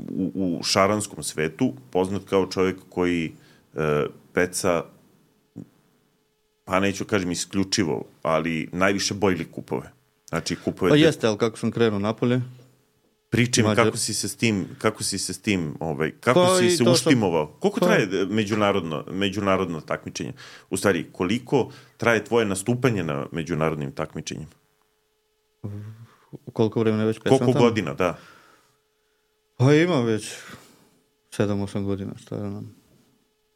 u, u šaranskom svetu poznat kao čovjek koji e, peca, pa neću kažem isključivo, ali najviše bojli kupove. Znači kupove... Pa jeste, ali kako sam krenuo napolje... Pričaj mi Mađar... kako si se s tim, kako si se s tim, ovaj, kako pa si se uštimovao? Sam... Koliko pa... traje međunarodno, međunarodno takmičenje? U stvari, koliko traje tvoje nastupanje na međunarodnim takmičenjima? Koliko vremena već pecam Koliko tamo? godina, da. Pa ima već sedam osam godina, šta ja nam.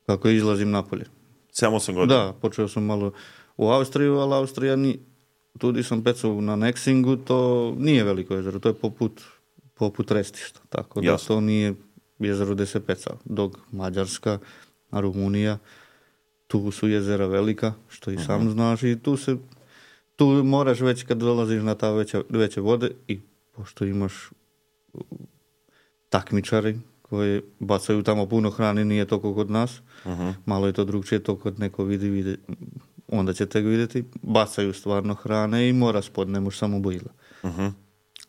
Kako izlazim napolje. sedam osam godina? Da, počeo sam malo u Austriju, ali Austrija ni... Tudi sam pecao na Nexingu, to nije veliko jezero, to je poput, poput Restišta, tako da Jasno. to nije jezero gde se peca. Dok Mađarska, Rumunija, tu su jezera velika, što i sam uh-huh. znaš, i tu se tu moraš već kad dolaziš na ta veća, veće vode i pošto imaš takmičari koji bacaju tamo puno hrane, nije to kod nas, uh-huh. malo je to drugčije, to kod neko vidi, vidi, onda ćete ga vidjeti, bacaju stvarno hrane i mora spod, ne može samo bojila. Uh-huh.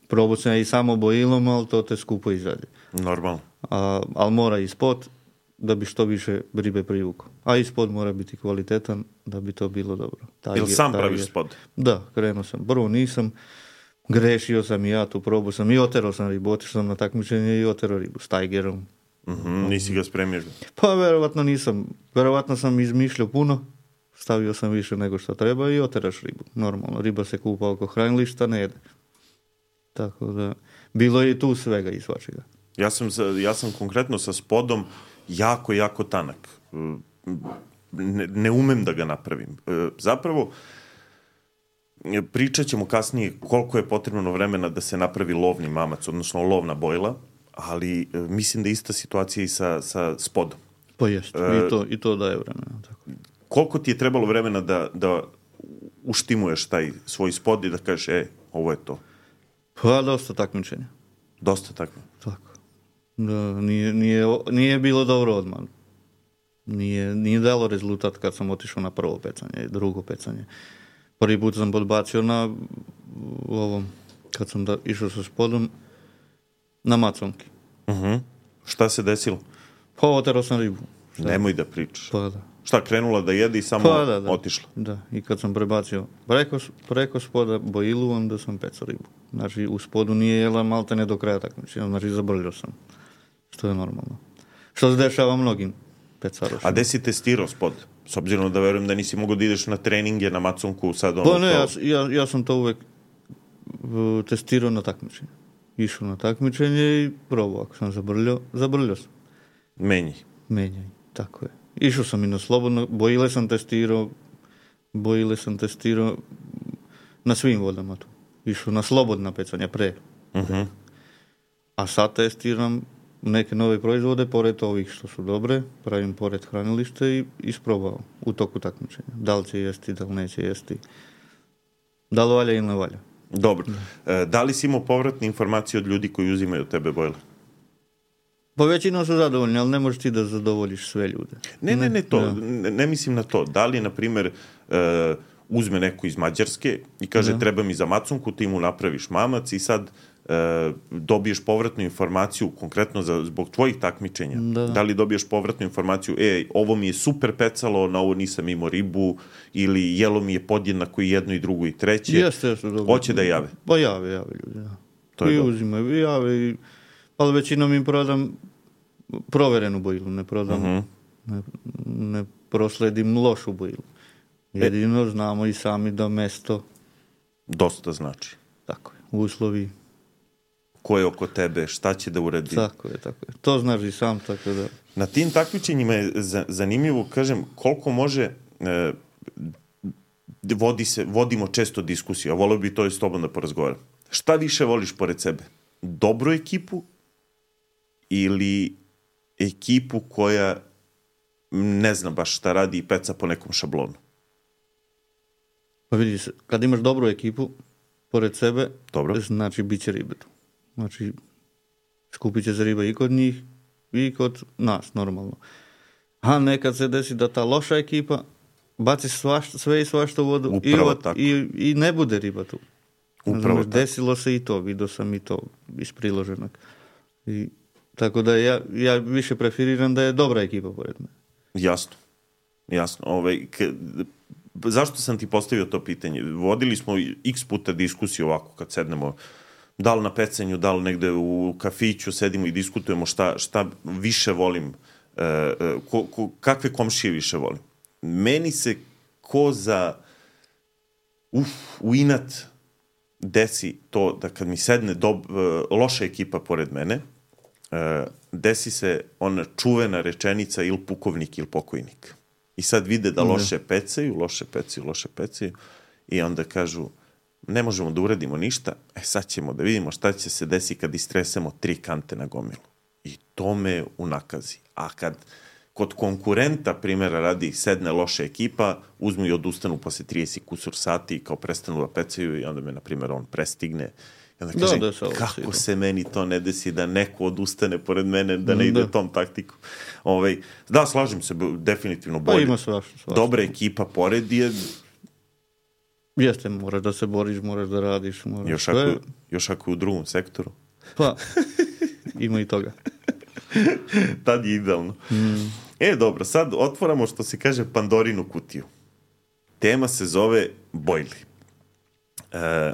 Probao sam i samo bojilom, ali to te skupo izađe. Normalno. A, ali mora ispod da bi što više ribe privukao. A ispod mora biti kvalitetan da bi to bilo dobro. Jel sam praviš spod? Da, krenuo sam. Prvo nisam, grešio sam i ja tu, probao sam i oterao sam ribu, otišao sam na takmičenje i oterao ribu s Tigerom. Mm-hmm, nisi ga spremio? Pa verovatno nisam. Verovatno sam izmišljao puno, stavio sam više nego što treba i oteraš ribu. Normalno, riba se kupa oko hranilišta, ne jede. Tako da, bilo je i tu svega i svačega. Ja sam, ja sam konkretno sa spodom jako, jako tanak. Ne, ne umem da ga napravim. Zapravo, pričat ćemo kasnije koliko je potrebno vremena da se napravi lovni mamac, odnosno lovna bojla, ali mislim da je ista situacija i sa, sa spodom. Pa jest, e, i, to, i to daje vremena. Tako. Koliko ti je trebalo vremena da, da uštimuješ taj svoj spod i da kažeš, e, ovo je to? Pa dosta takmičenja. Dosta takmičenja? Tako. Da, nije, nije, nije bilo dobro odmah. Nije, nije dalo rezultat kad sam otišao na prvo pecanje, drugo pecanje. Prvi put sam podbacio na ovom, kad sam da, išao sa spodom, na maconki. Uh-huh. Šta se desilo? Pa oterao sam ribu. Šta? Nemoj da pričaš. Pa da. Šta, krenula da jede i samo pa, da, da. otišla? Da, i kad sam prebacio preko, preko spoda bojilu, onda sam pecao ribu. Znači, u spodu nije jela malte ne do kraja takmičenja, znači zabrljao sam. Što je normalno. Što se dešava mnogim pecarošima. A gde si testirao spod? S obzirom da verujem da nisi mogao da ideš na treninge, na maconku, sad ono... Pa ne, to... ja, ja, ja sam to uvek uh, testirao na takmičenje. Išao na takmičenje i probao. Ako sam zabrljao, zabrljao sam. Menjaj. Menjaj, tako je. Išao sam i na slobodno, bojile sam testirao, bojile sam testirao na svim vodama tu. Išao na slobodna pecanja pre. Uh-huh. A sad testiram neke nove proizvode, pored ovih što su dobre, pravim pored hranilište i isprobao u toku takmičenja. Da li će jesti, da li neće jesti. Da li valja ili ne valja. Dobro. Da, da li si imao povratne informacije od ljudi koji uzimaju od tebe bojle? Pa većinom su zadovoljni, ali ne možeš ti da zadovoljiš sve ljude. Ne, ne, ne to. Ne, ne mislim na to. Da li, na primjer, uh, uzme neko iz Mađarske i kaže da. Treba mi za maconku, ti mu napraviš mamac i sad uh, dobiješ povratnu informaciju konkretno za, zbog tvojih takmičenja. Da. Da li dobiješ povratnu informaciju, e, ovo mi je super pecalo, na ovo nisam imao ribu, ili jelo mi je podjednako i jedno i drugo i treće. Jeste, jeste. Dobro. Hoće da jave? Pa jave, jave ljudi, da. To I uzimaju, i jave, i... ali većinom im prodam proverenu bojilu, ne prodam, uh-huh. ne, ne prosledim lošu bojilu. Jedino e. znamo i sami da mesto... Dosta znači. Tako je, uslovi... Ko je oko tebe, šta će da uradi. Tako je, tako je. To znaš i sam, tako da... Na tim takmičenjima je zanimljivo, kažem, koliko može... E, vodi se, vodimo često diskusiju, a volio bi to i s tobom da porazgovaram. Šta više voliš pored sebe? Dobru ekipu ili ekipu koja ne zna baš šta radi i peca po nekom šablonu? Pa vidi se, kad imaš dobru ekipu pored sebe, Dobro. znači bit će ribe tu. Znači, skupit će se riba i kod njih i kod nas, normalno. A nekad se desi da ta loša ekipa baci svašta, sve i svašta u vodu i, Upravo od, tako. i, i ne bude riba tu. Upravo Znači, tako. desilo se i to, vidio sam i to iz priloženog. I, tako da ja, ja više preferiram da je dobra ekipa pored mene. Jasno. Jasno. Ovaj, k, zašto sam ti postavio to pitanje? Vodili smo x puta diskusiju ovako kad sednemo, da li na pecanju, da li negde u kafiću, sedimo i diskutujemo šta, šta više volim, e, ko, ko, kakve komšije više volim. Meni se ko za uf, u inat desi to da kad mi sedne dob, loša ekipa pored mene, desi se ona čuvena rečenica ili pukovnik ili pokojnik. I sad vide da loše pecaju, loše pecaju, loše pecaju i onda kažu ne možemo da uradimo ništa, e sad ćemo da vidimo šta će se desi kad istresemo tri kante na gomilu. I to me unakazi. A kad kod konkurenta, primjera radi, sedne loša ekipa, uzmu i odustanu posle trideset kusur sati i kao prestanu da pecaju i onda me, na primjer, on prestigne. I onda kažem, da, da, kako se meni to ne desi da neko odustane pored mene, da ne ide da. tom taktiku. Ovaj, da, slažem se, definitivno bolje. Pa ima svašta, svašta. Dobra ekipa pored je... Jeste, moraš da se boriš, moraš da radiš. Moraš još, ako, još ako je u drugom sektoru. Pa, ima i toga. Tad je idealno. Mm. E, dobro, sad otvoramo, što se kaže, Pandorinu kutiju. Tema se zove bojli. E,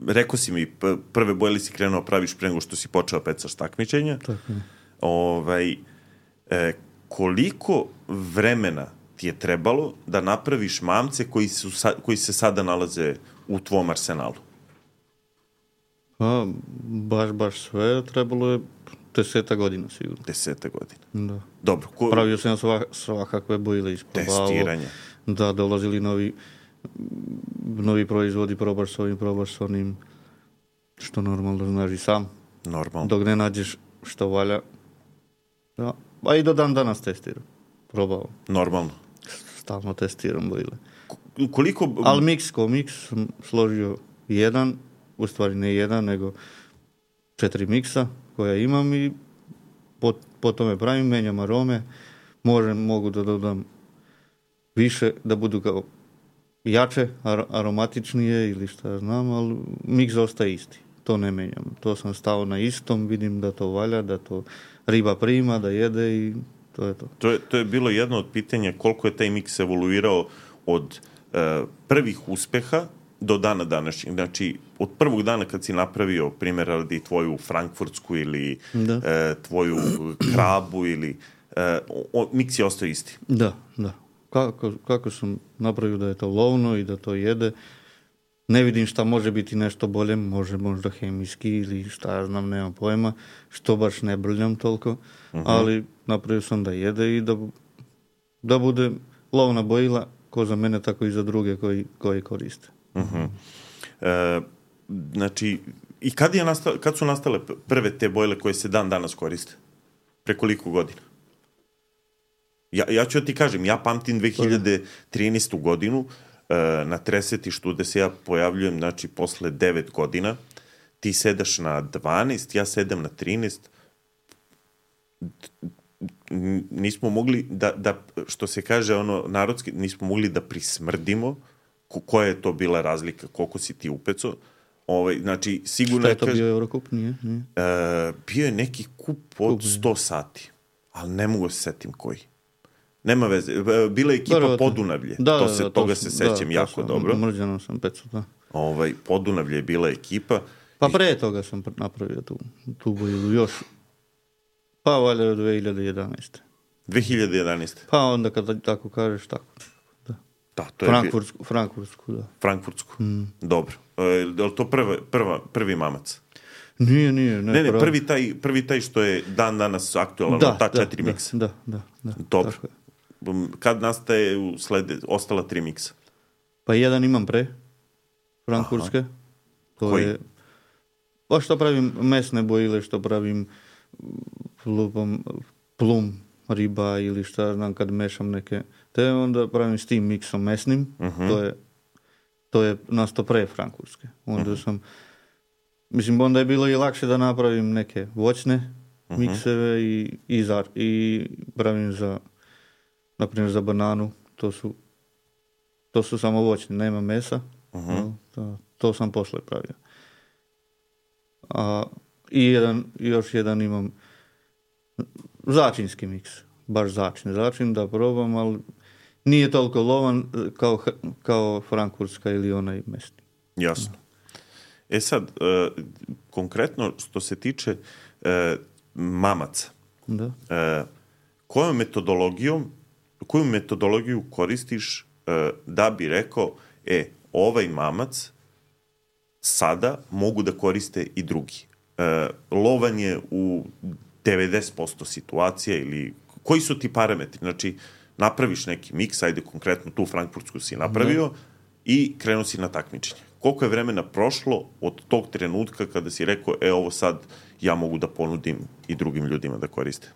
rekao si mi, prve bojli si krenuo praviš pre nego što si počeo pecaš takmičenja. Tako je. Ovaj, e, koliko vremena ti je trebalo da napraviš mamce koji, su, koji se sada nalaze u tvom arsenalu? Pa, baš, baš sve trebalo je deseta godina sigurno. Deseta godina. Da. Dobro. Ko... Pravio sam svak, svakakve bojile isprobavao. Testiranje. Da, dolazili novi, novi proizvodi, probaš s ovim, probaš s onim, što normalno znaš i sam. Normalno. Dok ne nađeš što valja. Da. A i do dan danas testiram. Probao. Normalno. Stalno testiram bojile. Koliko... Ali miks ko miks sam složio jedan, u stvari ne jedan, nego četiri miksa koja imam i po, po tome pravim, menjam arome, možem, mogu da dodam više, da budu kao jače, ar, aromatičnije ili šta znam, ali miks ostaje isti. To ne menjam. To sam stao na istom, vidim da to valja, da to riba prima, da jede i to je to. To je, to je bilo jedno od pitanja koliko je taj miks evoluirao od uh, prvih uspeha do dana današnjeg. Znači, od prvog dana kad si napravio, primjer, radi tvoju frankfurtsku ili uh, tvoju krabu ili uh, miks je ostao isti. Da, da. Kako, kako sam napravio da je to lovno i da to jede, ne vidim šta može biti nešto bolje, može možda hemijski ili šta ja znam, nemam pojma, što baš ne brljam toliko, uh-huh. ali napravio sam da jede i da, da bude lovna bojila, ko za mene, tako i za druge koji, koji koriste. Uh-huh. E, znači, i kad, je nastale, kad su nastale prve te bojile koje se dan danas koriste? Pre koliko godina? Ja, ja ću da ti kažem, ja pamtim dve hiljade trinaestu. godinu e, na tresetištu gde se ja pojavljujem, znači, posle devet godina, ti sedaš na dvanaest, ja sedam na trinaest, nismo mogli da, da, što se kaže ono narodski, nismo mogli da prismrdimo ko, koja je to bila razlika, koliko si ti upecao. Ovaj, znači, sigurno... Šta je to bio Eurocup? Nije? Nije. E, bio je neki kup od kup, sto sati, ali ne mogu se setim koji. Nema veze. Bila je ekipa Dobro, Podunavlje. Da, to se, da, toga to, se sećam da, jako sam, dobro. Mrđano sam pecao, da. Ovaj, Podunavlje je bila ekipa. Pa pre toga sam napravio tu, tu bojilu još. Pa valja od dve hiljade jedanaeste. dve hiljade jedanaeste. Pa onda kad tako kažeš, tako. Da. Da, to Frankfurtsku, je... Frankfurtsku, da. Frankfurtsku, mm. dobro. E, je li to prva, prva, prvi mamac? Nije, nije. Ne, ne, ne prvi, taj, prvi taj što je dan danas aktualan, da, ta da, četiri da, miksa. Da, da, da. Dobro. Kad nastaje u slede, ostala tri miksa? Pa jedan imam pre, frankfurtske. Aha. To Koji? Je, pa što pravim mesne bojile, što pravim lupom, plum riba ili šta znam kad mešam neke, te onda pravim s tim miksom mesnim, uh-huh. to je to je nasto pre frankfurtske. Onda sam, mislim, onda je bilo i lakše da napravim neke voćne mikseve i, i, za, i pravim za, na primjer za bananu, to su, to su samo voćne, nema mesa, Uh-huh. no, to, to sam posle pravio. A, i jedan, još jedan imam začinski miks, baš začin, začin da probam, ali nije toliko lovan kao, kao frankfurtska ili onaj mesni. Jasno. E sad, uh, konkretno što se tiče uh, mamaca, Da. uh, kojom metodologijom, koju metodologiju koristiš uh, da bi rekao, e, ovaj mamac sada mogu da koriste i drugi. Uh, lovan je u devedeset posto situacija ili koji su ti parametri? Znači, napraviš neki miks, ajde konkretno tu frankfurtsku si napravio da. I krenuo si na takmičenje. Koliko je vremena prošlo od tog trenutka kada si rekao, e, ovo sad ja mogu da ponudim i drugim ljudima da koriste?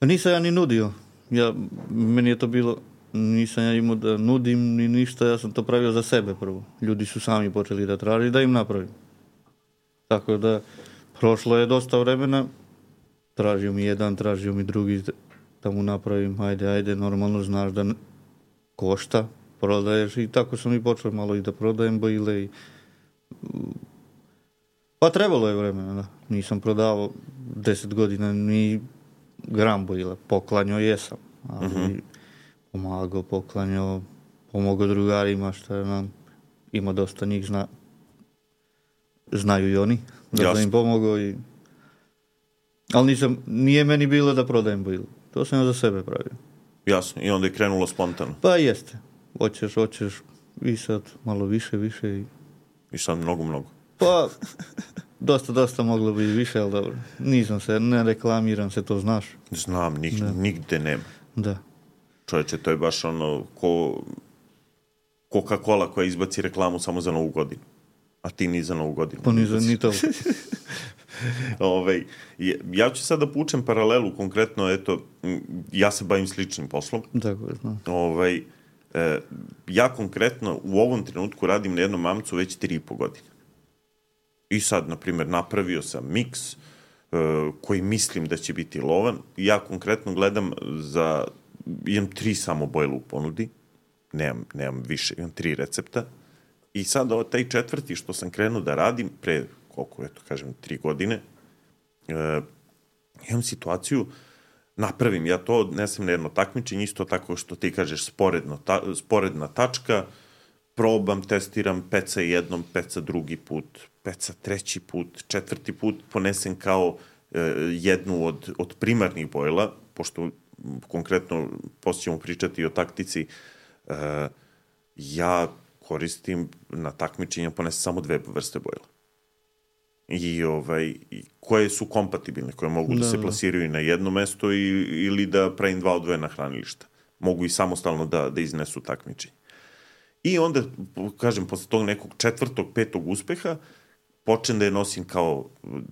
Nisam ja ni nudio. Ja, meni je to bilo, nisam ja imao da nudim ni ništa, ja sam to pravio za sebe prvo. Ljudi su sami počeli da traži da im napravim. Tako da, prošlo je dosta vremena, tražio mi jedan, tražio mi drugi da mu napravim, ajde, ajde, normalno znaš da košta, prodaješ i tako sam i počeo malo i da prodajem bojile i... Pa trebalo je vremena, da. Nisam prodavao deset godina ni gram bojila, poklanjao jesam, ali uh-huh. pomagao, poklanjao, pomogao drugarima, šta nam, ima dosta njih, zna, znaju i oni, da Jasno. Sam im pomogao i... Ali nisam, nije meni bilo da prodajem bojilu, to sam ja za sebe pravio. Jasno, i onda je krenulo spontano. Pa jeste, hoćeš, hoćeš i sad malo više, više i... I sad mnogo, mnogo. Pa, dosta, dosta moglo bi više, ali dobro. Nisam se, ne reklamiram se, to znaš. Znam, nig, nigde nema. Da. Čovječe, to je baš ono ko Coca-Cola koja izbaci reklamu samo za Novu godinu. A ti ni za Novu godinu. Pa ni za, ni to. Ove, ja ću sad da pučem paralelu, konkretno, eto, ja se bavim sličnim poslom. Tako je, znam. Ove, e, ja konkretno u ovom trenutku radim na jednom mamcu već tri i po godine. I sad, na primjer, napravio sam miks e, koji mislim da će biti lovan. Ja konkretno gledam za, imam tri samo bojle u ponudi, nemam, nemam više, imam tri recepta. I sad ovo, taj četvrti što sam krenuo da radim pre, koliko, eto, kažem, tri godine, e, imam situaciju, napravim ja to, odnesem na jedno takmičenje, isto tako što ti kažeš sporedno, ta, sporedna tačka, probam, testiram, peca jednom, peca drugi put, peca treći put, četvrti put, ponesem kao e, jednu od, od primarnih bojla, pošto konkretno poslije ćemo pričati o taktici, e, ja koristim na takmičenju, ponesem samo dve vrste bojla. I, ovaj, i koje su kompatibilne, koje mogu da, da se plasiraju na jedno mesto i, ili da pravim dva odvojena hranilišta. Mogu i samostalno da, da iznesu takmičenje. I onda, kažem, posle tog nekog četvrtog, petog uspeha, počnem da je nosim kao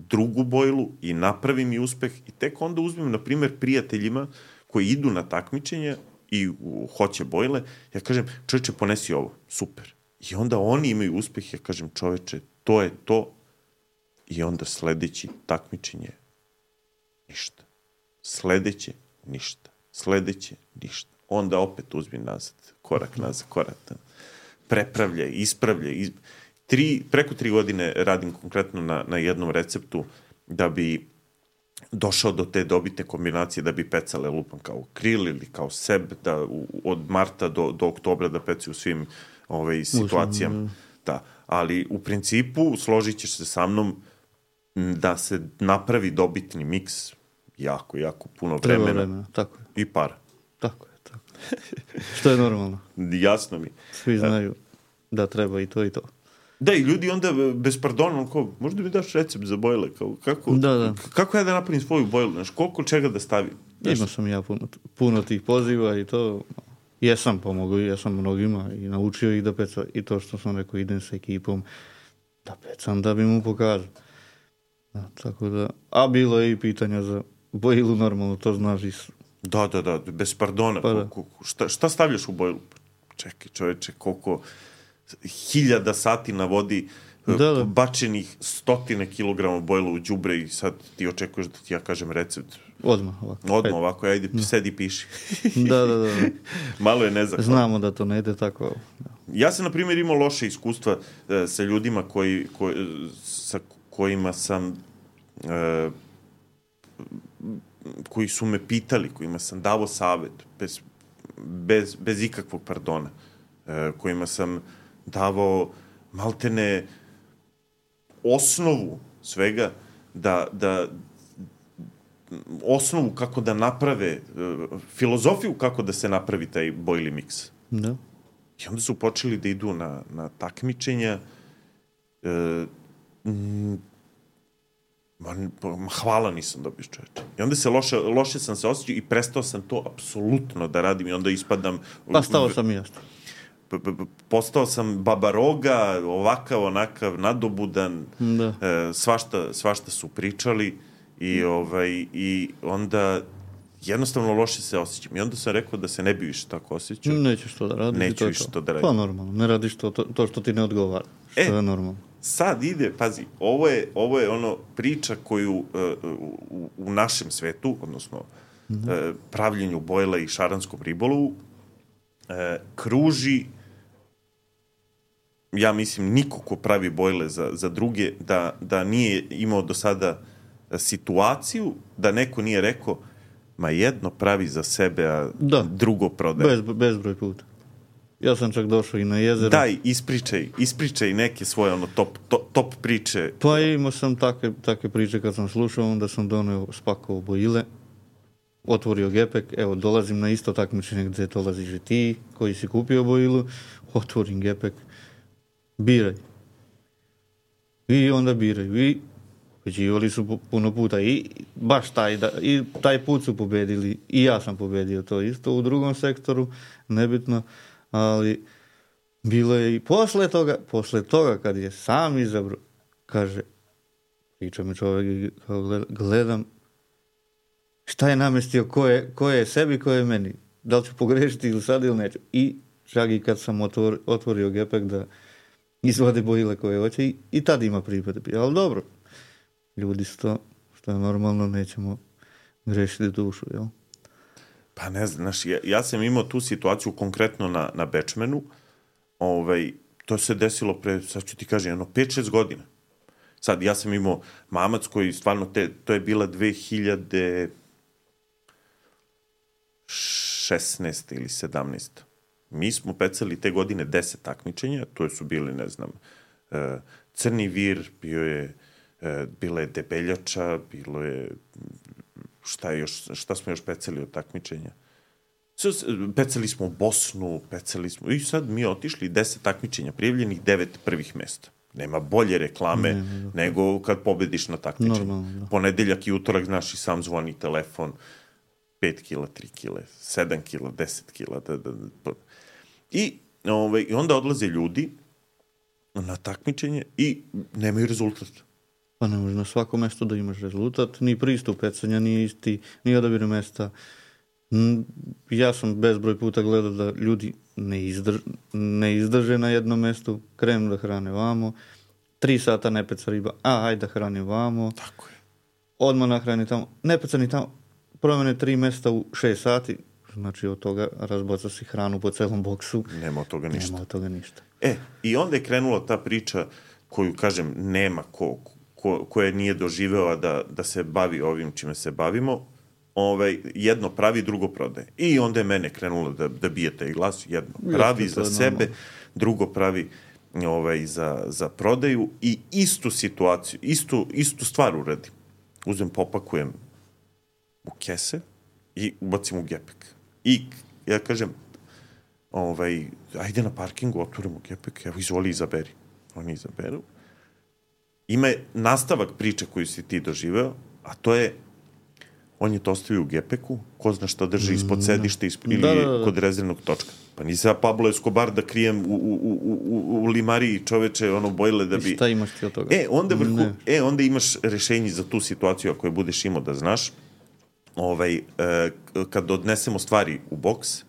drugu bojlu i napravim i uspeh i tek onda uzmem, na primjer, prijateljima koji idu na takmičenje i u, hoće bojle, ja kažem, čoveče, ponesi ovo, super. I onda oni imaju uspeh, ja kažem, čoveče, to je to. I onda sledeći takmičenje, ništa. Sledeće, ništa. Sledeće, ništa. Onda opet uzmi nazad, korak nazad, korak nazad. Prepravljaj, ispravljaj. Iz... Tri, preko tri godine radim konkretno na, na jednom receptu da bi došao do te dobitne kombinacije, da bi pecale lupam kao kril ili kao seb, da u, od marta do, do oktobra da peci u svim ovaj, situacijama. Da. Ali u principu složit ćeš se sa mnom da se napravi dobitni miks jako, jako puno vremena. Treba vremena, tako je. I para. Tako je, tako je. Što je normalno. Jasno mi. Svi znaju da treba i to i to. Da, i ljudi onda bez pardona, kao, možda mi daš recept za bojle, kao, kako, da, da. kako ja da napravim svoju bojlu, znaš, koliko čega da stavim? Znaš, imao sam ja puno, puno tih poziva i to, jesam pomogao, jesam mnogima i naučio ih da peca, i to što sam rekao, idem sa ekipom da pecam, da bi mu pokazao. Da, tako da, a bilo je i pitanja za bojilu, normalno, to znaš i... Da, da, da, bez pardona, pa da. Koliko, šta, šta stavljaš u bojlu? Čekaj, čoveče, koliko... hiljada sati na vodi, da, da. bačenih stotine kilograma bojila u đubre i sad ti očekuješ da ti ja kažem recept. Odmah ovako. Odmah ajde. ovako, ajde, da. Sedi, piši. da, da, da. Malo je nezahvalno. Znamo da to ne ide tako. Da. Ja sam, na primjer, imao loše iskustva e, sa ljudima koji, koji, sa kojima sam e, koji su me pitali, kojima sam davo savjet bez, bez, bez ikakvog pardona, e, kojima sam davao maltene osnovu svega, da, da osnovu kako da naprave, filozofiju kako da se napravi taj boilie mix. Da. I onda su počeli da idu na, na takmičenja. E, m, ma, hvala nisam dobio, čoveče. I onda se loše, loše sam se osjećao i prestao sam to apsolutno da radim i onda ispadam... Pa stao sam i jasno. Postao sam babaroga, ovakav, onakav, nadobudan, da. e, svašta, svašta su pričali i, ovaj, i onda jednostavno loše se osjećam. I onda sam rekao da se ne bi više tako osjećao. Nećeš to da radiš. Neću to više to. to da radim. Pa normalno, ne radiš to, to, to što ti ne odgovara. Što e, je normalno. Sad ide, pazi, ovo je, ovo je ono priča koju uh, u, u našem svetu, odnosno mm-hmm. uh, pravljenju bojla i šaranskom ribolovu, uh, kruži, ja mislim, niko ko pravi bojle za, za druge, da, da nije imao do sada situaciju, da neko nije rekao, ma jedno pravi za sebe, a da. drugo prodaje. Bez, bezbroj puta. Ja sam čak došao i na jezero. Daj, ispričaj, ispričaj neke svoje ono top, top, top priče. Pa imao sam takve, takve priče kad sam slušao, onda sam doneo spakovao bojile, otvorio gepek, evo, dolazim na isto takmičenje gdje dolaziš i ti, koji si kupio bojilu, otvorim gepek, biraj. I onda biraju. I pobeđivali su puno puta. I baš taj, da, i taj put su pobedili. I ja sam pobedio to isto u drugom sektoru, nebitno. Ali bilo je i posle toga, posle toga kad je sam izabrao, kaže, priča mi čovjek, gledam, šta je namestio, ko je, ko je sebi, ko je meni. Da li ću pogrešiti ili sad ili neću. I čak i kad sam otvor, otvorio gepek da izvade bojile koje hoće i, i tad ima pripade. Ali dobro, ljudi su to, što je normalno, nećemo grešiti dušu, jel? Pa ne znam, znaš, ja, ja sam imao tu situaciju konkretno na, na Bečmenu, ovaj, to se desilo pre, sad ću ti kažem, jedno pet šest godina. Sad, ja sam imao mamac koji stvarno, te, to je bila dve hiljade šesnaeste ili sedamnaeste. Mi smo pecali te godine deset takmičenja, to su bili, ne znam, uh, Crni vir, bio je, uh, bila je Debeljača, bilo je, šta, je još, šta smo još pecali od takmičenja? Pecali smo Bosnu, pecali smo, i sad mi otišli deset takmičenja, prijavljenih devet prvih mesta. Nema bolje reklame ne, ne, ne. nego kad pobediš na takmičenju. Normalno, ponedeljak i utorak, znaš, i sam zvoni telefon, pet kila, tri kile, sedam kila, deset kila, da, da, da. I ovaj, onda odlaze ljudi na takmičenje i nemaju rezultat. Pa ne može na svako mesto da imaš rezultat, ni pristup pecanja, ni isti, ni odabir mesta. Ja sam bezbroj puta gledao da ljudi ne, izdrž, ne izdrže na jednom mestu, krenu da hrane vamo, tri sata ne peca riba, a ajde da hrani vamo. Tako je. Odmah nahrani tamo, ne peca ni tamo, promene tri mesta u šest sati, znači od toga razbaca si hranu po celom boksu. Nema od toga ništa. Nema od toga ništa. E, i onda je krenula ta priča koju, kažem, nema ko, ko, ko je nije doživeo da, da se bavi ovim čime se bavimo. Ovaj, jedno pravi, drugo prodaje. I onda je mene krenulo da, da bije taj glas. Jedno pravi Jeste, za sebe, normalno. Drugo pravi ovaj, za, za prodaju i istu situaciju, istu, istu stvar uradim. Uzem, popakujem u kese i ubacim u gepek. I ja kažem, ovaj, ajde na parkingu, otvorimo gepek, evo izvoli izaberi. Oni izaberu. Ima nastavak priče koju si ti doživeo, a to je on je to ostavio u gepeku, ko zna šta drži ispod sedišta ispod, ili da, da, da. kod rezervnog točka. Pa nisam ja Pablo Escobar da krijem u, u, u, u, u limariji čoveče ono bojle da bi... I šta imaš ti od toga? E, onda, vrhu, e, onda imaš rešenje za tu situaciju ako je budeš imao da znaš. Ovaj, e, kad odnesemo stvari u boks,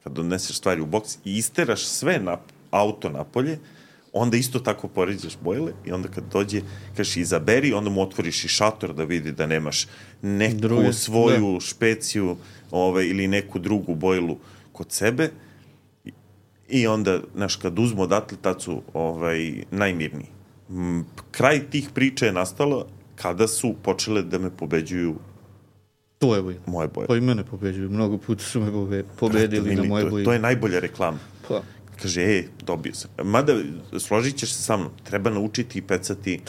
kad odneseš stvari u boks i isteraš sve na auto napolje, onda isto tako poređaš bojle i onda kad dođe, kažeš izaberi, onda mu otvoriš i šator da vidi da nemaš neku Druge, svoju da. špeciju ovaj, ili neku drugu bojlu kod sebe i onda, znaš, kad uzmu odatle, tad su ovaj, najmirniji. Kraj tih priča je nastalo kada su počele da me pobeđuju tvoje boje. Moje boje. Pa i mene pobeđuju. Mnogo puta su me pobedili na moje boje. To je najbolja reklama. Pa. Kaže, e, dobio sam. Mada, složit ćeš se sa mnom, treba naučiti i pecati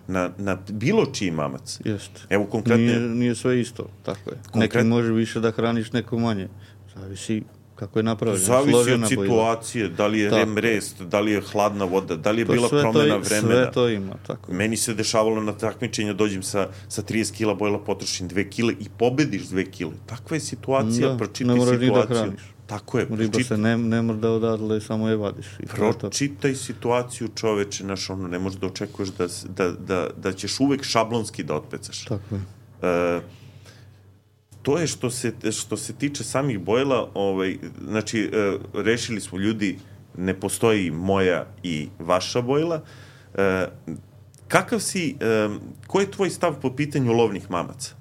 na, na bilo čiji mamac. Jeste. Evo, konkretno... Nije, nije sve isto, tako je. Konkret... Neki može više da hraniš, neko manje. Zavisi kako je napravljeno. Zavisi od situacije, bojla. Da li je rem rest, da li je hladna voda, da li je to bila promena to, vremena. Sve to ima, tako. Meni se dešavalo na takmičenju, dođem sa, sa trideset kila bojla, potrošim dve kile i pobediš dve kile. Takva je situacija, da, pročitaj situaciju. Da hraniš. Tako je. Riba pročit... se ne, ne mora da odatle, samo je vadiš. I pročitaj situaciju, čoveče, znaš, ono, ne možeš da očekuješ da, da, da, da ćeš uvek šablonski da otpecaš. Tako je. E, to je što se, što se tiče samih bojla, ovaj, znači, e, rešili smo ljudi, ne postoji moja i vaša bojla. E, kakav si, e, koji je tvoj stav po pitanju lovnih mamaca?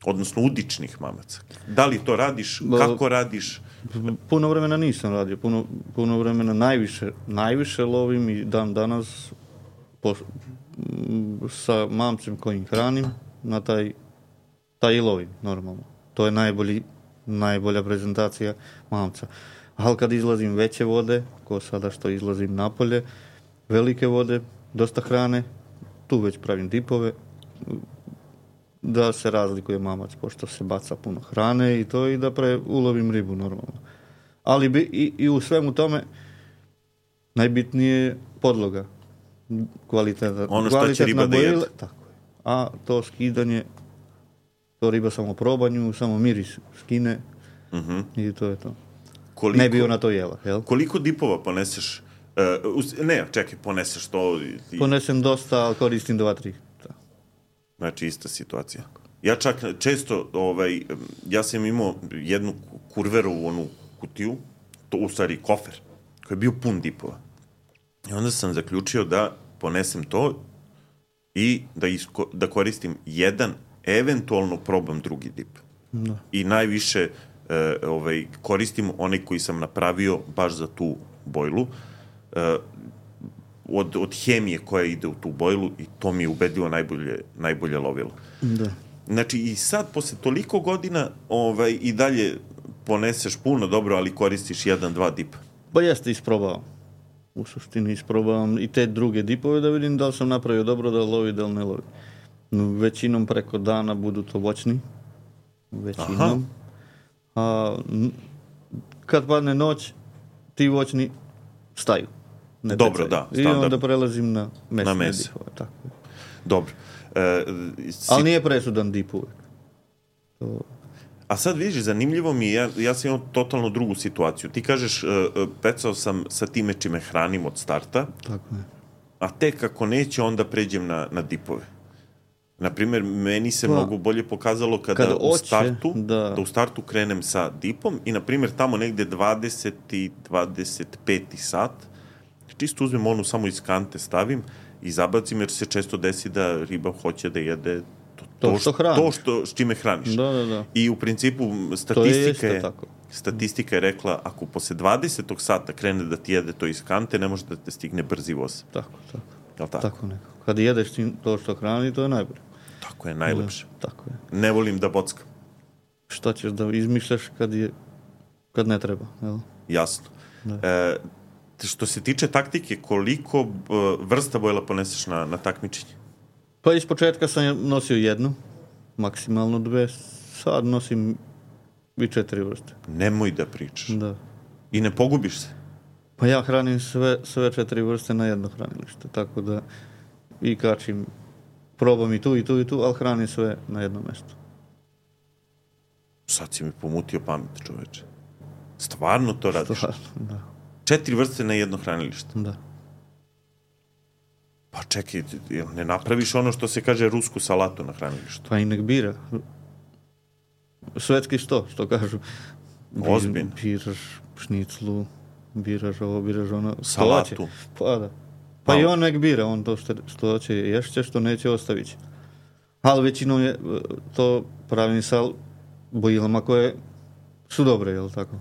Odnosno udičnih mamaca. Da li to radiš? Kako radiš? Puno vremena nisam radio. Puno, puno vremena najviše, najviše lovim i dan danas po, sa mamcem kojim hranim na taj, taj i lovim, normalno. To je najbolji, najbolja prezentacija mamca. Ali kad izlazim veće vode, ko sada što izlazim napolje, velike vode, dosta hrane, tu već pravim dipove, da se razlikuje mamac, pošto se baca puno hrane i to, i da pre ulovim ribu normalno. Ali bi, i, i u svemu tome najbitnije je podloga. Kvaliteta, ono što će riba da jede. Tako je. A to skidanje, to riba samo probanju, samo miris skine uh-huh. i to je to. Koliko, ne bi ona to jela, jel? Koliko dipova poneseš? Uh, ne, čekaj, poneseš to... I... Ponesem dosta, ali koristim dva, tri. Znači, ista situacija. Ja čak često, ovaj, ja sam imao jednu kurverovu onu kutiju, to u stvari kofer, koji je bio pun dipova. I onda sam zaključio da ponesem to i da, isko, da koristim jedan, eventualno probam drugi dip. Da. I najviše eh, ovaj, koristim onaj koji sam napravio baš za tu bojlu, eh, Od, od hemije koja ide u tu bojlu i to mi je ubedljivo najbolje, najbolje lovilo. Da. Znači i sad, posle toliko godina ovaj, i dalje poneseš puno dobro, ali koristiš jedan, dva dipa. Pa jeste, isprobao. U suštini isprobavam i te druge dipove da vidim da li sam napravio dobro, da lovi, da li ne lovi. Većinom preko dana budu to voćni. Većinom. A kad padne noć, ti voćni staju. Ne Dobro, da. Standard. I onda prelazim na mesne na dipove. Tako. Dobro. E, si... Ali nije presudan dip uvek. To... A sad vidiš, zanimljivo mi je, ja, ja sam imao totalno drugu situaciju. Ti kažeš, uh, pecao sam sa time čime hranim od starta, tako je. A tek ako neće, onda pređem na, na dipove. Naprimjer, meni se pa, mnogo bolje pokazalo kada, kada u, oće, startu, da... da u startu krenem sa dipom i, naprimjer, tamo negde dvadeseti, dvadeset peti sat, čisto uzmem onu, samo iz kante stavim i zabacim, jer se često desi da riba hoće da jede to, to, to, što, to što s čime hraniš. Da, da, da. I u principu statistika je, je statistika je rekla, ako posle dvadesetog sata krene da ti jede to iz kante, ne može da te stigne brzi voz. Tako, tako. Jel tako? Tako nekako. Kad jedeš to što hrani, to je najbolje. Tako je, najlepše. Da, tako je. Ne volim da bockam. Šta ćeš da izmišljaš kad je, kad ne treba, jel? Jasno. E, što se tiče taktike, koliko uh, vrsta bojla poneseš na, na takmičenje? Pa iz početka sam nosio jednu, maksimalno dve, sad nosim i četiri vrste. Nemoj da pričaš. Da. I ne pogubiš se? Pa ja hranim sve, sve četiri vrste na jedno hranilište, tako da i kačim, probam i tu i tu i tu, ali hranim sve na jednom mjestu. Sad si mi pomutio pamet, čoveče. Stvarno to radiš? Stvarno, da. Četiri vrste na jedno hranilište? Da. Pa čekaj, ne napraviš ono što se kaže rusku salatu na hranilištu? Pa i nek bira. Svetski sto, što kažu. Ozbiljno. Biraš šniclu, biraš ovo, biraš ono. Salatu. Pa da. Pa i on nek bira, on to što, što hoće ješće, što neće ostavit će. Ali većinom je to pravim sa bojilama koje su dobre, jel tako?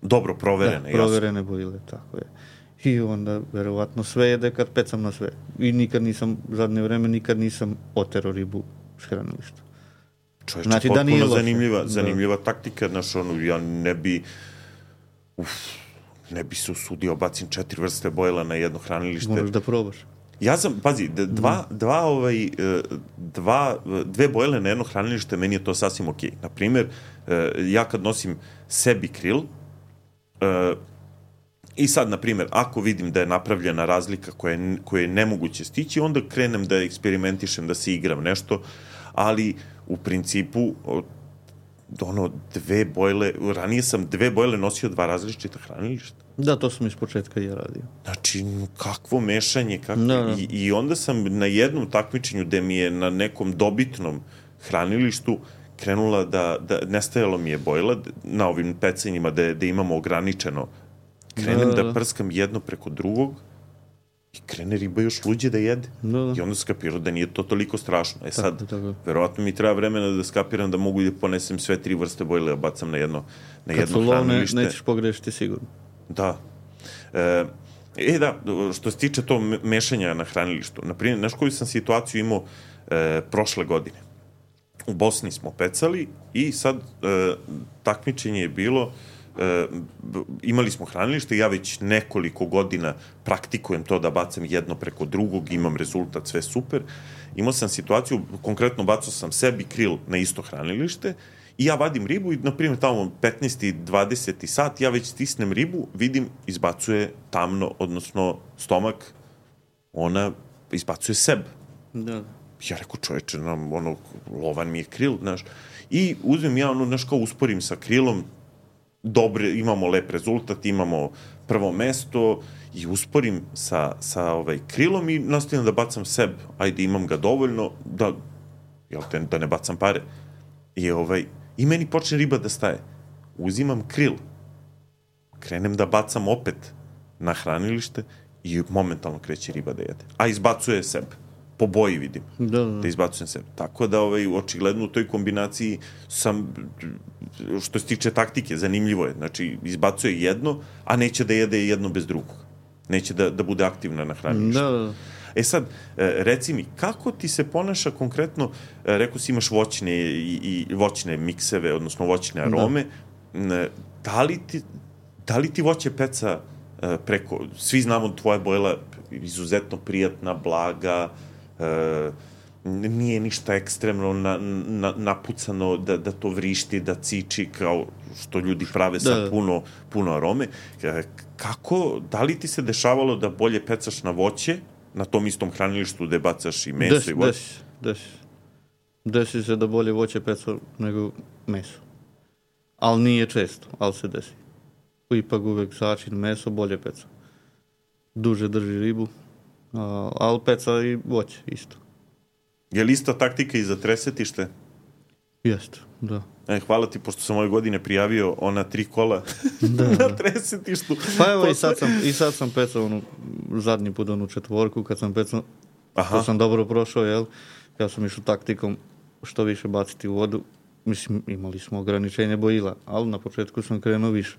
Dobro proverene, da, proverene jasno. Bojile, tako je. I onda, verovatno, sve jede kad pecam na sve. I nikad nisam, zadnje vreme, nikad nisam otero ribu s hranilišta. Čovječe, znači, potpuno da zanimljiva, zanimljiva da. taktika, znaš, ono, ja ne bi, uf, ne bi se usudio, bacim četiri vrste bojila na jedno hranilište. Moraš da probaš. Ja sam, pazi, dva, mm. dva, ovaj, dva, dve bojile na jedno hranilište, meni je to sasvim okej. Okay. Naprimjer, ja kad nosim sebi kril, i sad, na primjer, ako vidim da je napravljena razlika koja je, koja je nemoguće stići, onda krenem da eksperimentišem, da se igram nešto, ali u principu ono, dve bojle, ranije sam dve bojle nosio dva različita hranilišta. Da, to sam iz početka i ja radio. Znači, kakvo mešanje, kakvo... Da, da. I, I onda sam na jednom takmičenju gde mi je na nekom dobitnom hranilištu krenula da, da nestajalo mi je bojla na ovim pecanjima da, da imamo ograničeno. Krenem da, da. da prskam jedno preko drugog i krene riba još luđe da jede. Da, da. I onda skapirao da nije to toliko strašno. E sad, tako, tako. Verovatno mi treba vremena da skapiram da mogu da ponesem sve tri vrste bojle, a bacam na jedno, na jedno hranilište. Kad su lovne, nećeš pogrešiti sigurno. Da. E, e da, što se tiče to mešanja na hranilištu, naprimjer, znaš koju sam situaciju imao e, prošle godine. U Bosni smo pecali i sad e, takmičenje je bilo, e, imali smo hranilište, ja već nekoliko godina praktikujem to da bacam jedno preko drugog, imam rezultat, sve super. Imao sam situaciju, konkretno bacao sam sebi kril na isto hranilište i ja vadim ribu i, na primjer, tamo petnaesti dvadeseti sat, ja već stisnem ribu, vidim, izbacuje tamno, odnosno stomak, ona izbacuje sebe. Da. Ja rekao, čoveče, nam, ono, lovan mi je kril, znaš. I uzmem ja, ono, znaš, kao usporim sa krilom, dobre, imamo lep rezultat, imamo prvo mesto i usporim sa, sa ovaj, krilom i nastavim da bacam sebe. Ajde, imam ga dovoljno da, jel te, da ne bacam pare. I, ovaj, i meni počne riba da staje. Uzimam kril, krenem da bacam opet na hranilište i momentalno kreće riba da jede. A izbacuje sebe. Po boji vidim, da, da. da izbacujem sebe. Tako da, ovaj, očigledno u toj kombinaciji sam, što se tiče taktike, zanimljivo je. Znači, izbacuje jedno, a neće da jede jedno bez drugog. Neće da, da bude aktivna na hranilištu. Da, da. E sad, reci mi, kako ti se ponaša konkretno, rekao si imaš voćne i, i voćne mikseve, odnosno voćne arome, da. Da li ti, da li ti voće peca preko, svi znamo tvoja bojla izuzetno prijatna, blaga, Uh, nije ništa ekstremno na, na, napucano da, da to vrišti, da ciči kao što ljudi prave sa da. puno, puno arome. Kako, da li ti se dešavalo da bolje pecaš na voće, na tom istom hranilištu gde bacaš i meso desi, i voće? Desi, desi. Desi se da bolje voće peca nego meso. Ali nije često, ali se desi. Ipak uvek začin meso bolje peca. Duže drži ribu. Uh, ali peca i voće, isto. Je li ista taktika i za tresetište? Jeste, da. E, hvala ti, pošto sam ove godine prijavio ona tri kola da, na da. tresetištu. Pa evo, i sad sam, i sad sam pecao onu, zadnji put onu četvorku, kad sam pecao, to sam dobro prošao, jel? Ja sam išao taktikom što više baciti u vodu. Mislim, imali smo ograničenje bojila, ali na početku sam krenuo više.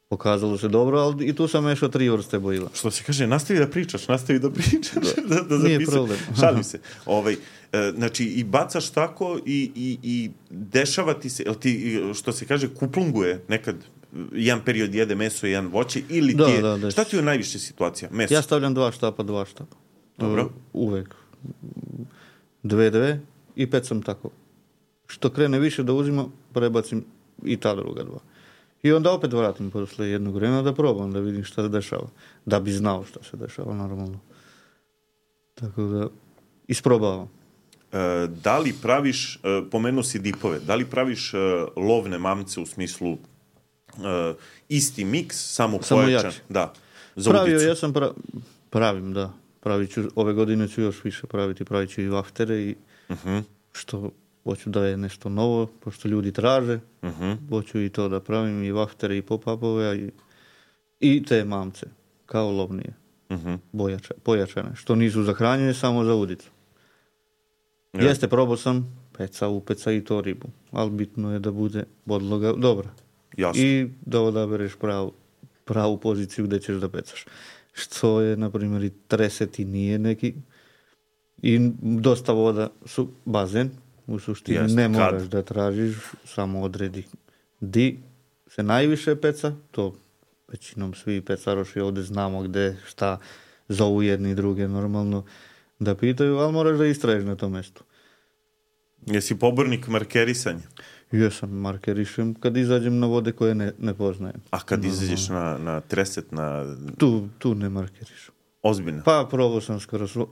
Pokazalo se dobro, ali i tu sam mešao tri vrste bojila. Što se kaže, nastavi da pričaš, nastavi da pričaš, da, da Nije problem. Šalim se. Ovaj, e, znači, i bacaš tako i, i, i dešava ti se, jel ti, što se kaže, kuplunguje nekad, jedan period jede meso i jedan voće, ili da, ti je, da, da, šta ti je najviše situacija? Meso? Ja stavljam dva štapa, dva štapa. Dobro. Uvek. Dve, dve i pecam tako. Što krene više da uzima, prebacim i ta druga dva. I onda opet vratim posle jednog vremena da probam, da vidim šta se dešava. Da bi znao šta se dešava, normalno. Tako da, isprobavam. E, da li praviš, e, pomenuo si dipove, da li praviš e, lovne mamce u smislu e, isti miks, samo, samo pojačan? Jači. Da, za Pravio, udicu. Ja sam pra... pravim, da. Pravit ću, ove godine ću još više praviti, pravit ću i vaftere i uh-huh. što... Hoću da je nešto novo, pošto ljudi traže. Uh-huh. Hoću i to da pravim, i vaftere, i pop-upove, i, i te mamce, kao lovnije, uh-huh. bojača, pojačane, što nisu za hranjenje, samo za udicu. Ja. Jeste, probao sam peca, upeca i to ribu, ali bitno je da bude podloga dobra. Jasno. I da odabereš pravu, pravu poziciju gdje ćeš da pecaš. Što je, na primjer, i treseti nije neki, i dosta voda su bazen, u suštini Jest, ne moraš kad? da tražiš, samo odredi di se najviše peca, to većinom svi pecaroši ovdje znamo gdje, šta zovu jedni i druge normalno da pitaju, ali moraš da istraješ na tom mjestu. Jesi pobornik markerisanja? Jesam, markerišem kad izađem na vode koje ne, ne poznajem. A kad Normalno. izađeš na, na treset, na... Tu, tu ne markerišem. Ozbiljno? Pa probao sam skoro, svo,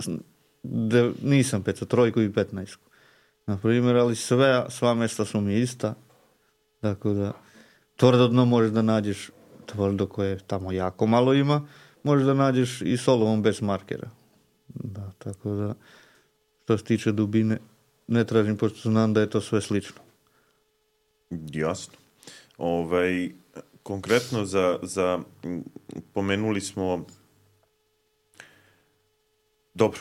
de, nisam pecao trojku i petnaestku. Na primjer, ali sve, sva mjesta su mi ista. Tako da, tvrdo dno možeš da nađeš tvrdo koje tamo jako malo ima, možeš da nađeš i solovom bez markera. Da, tako da, što se tiče dubine, ne tražim, pošto znam da je to sve slično. Jasno. Ovaj, konkretno za, za pomenuli smo dobro,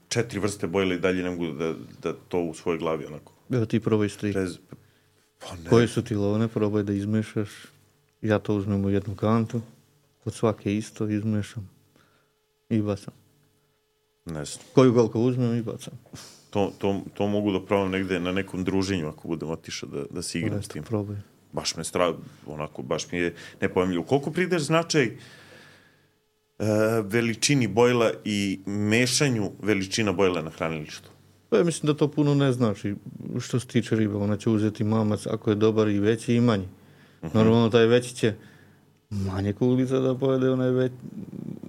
četiri vrste bojila i dalje ne mogu da, da to u svojoj glavi onako. Evo ti probaj stri. Prez... Pa ne. Koje su ti lovne, probaj da izmešaš. Ja to uzmem u jednu kantu, od svake isto izmešam i bacam. Ne znam. Koju koliko uzmem i bacam. To, to, to mogu da probam negde na nekom druženju ako budem otišao da, da se igram s tim. Probaj. Baš me stra... onako, baš mi je nepojemljivo. Koliko prideš značaj uh, veličini bojla i mešanju veličina bojla na hranilištu? Pa ja mislim da to puno ne znači što se tiče riba. Ona će uzeti mamac ako je dobar i veći i manji. Uh-huh. Normalno taj veći će manje kuglica da pojede, onaj već,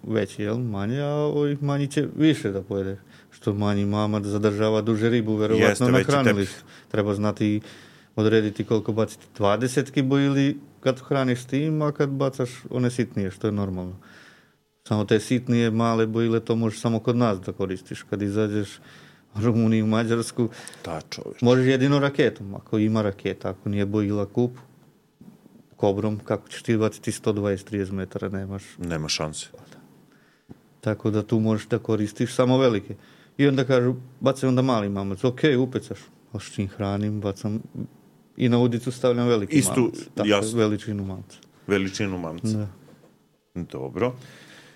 veći, jel? Manje, a ovih manji će više da pojede. Što manji mamac zadržava duže ribu, verovatno na hranilištu. Treba znati odrediti koliko baciti dvadesetki bojili kad hraniš s tim, a kad bacaš one sitnije, što je normalno. Samo te sitnije, male bojile, to možeš samo kod nas da koristiš. Kad izađeš u Rumuniju, Mađarsku, Ta čoveč. možeš jedino raketom, ako ima raketa, ako nije bojila kup, kobrom, kako ćeš ti baciti sto dvadeset do trideset metara, nemaš. Nema šanse. Tako da tu možeš da koristiš samo velike. I onda kažu, bacaj onda mali mamac, ok, upecaš. A s čim hranim, bacam i na udicu stavljam veliki Istu, mamac. Tako, jasno. veličinu mamca. Veličinu mamca. Da. Dobro.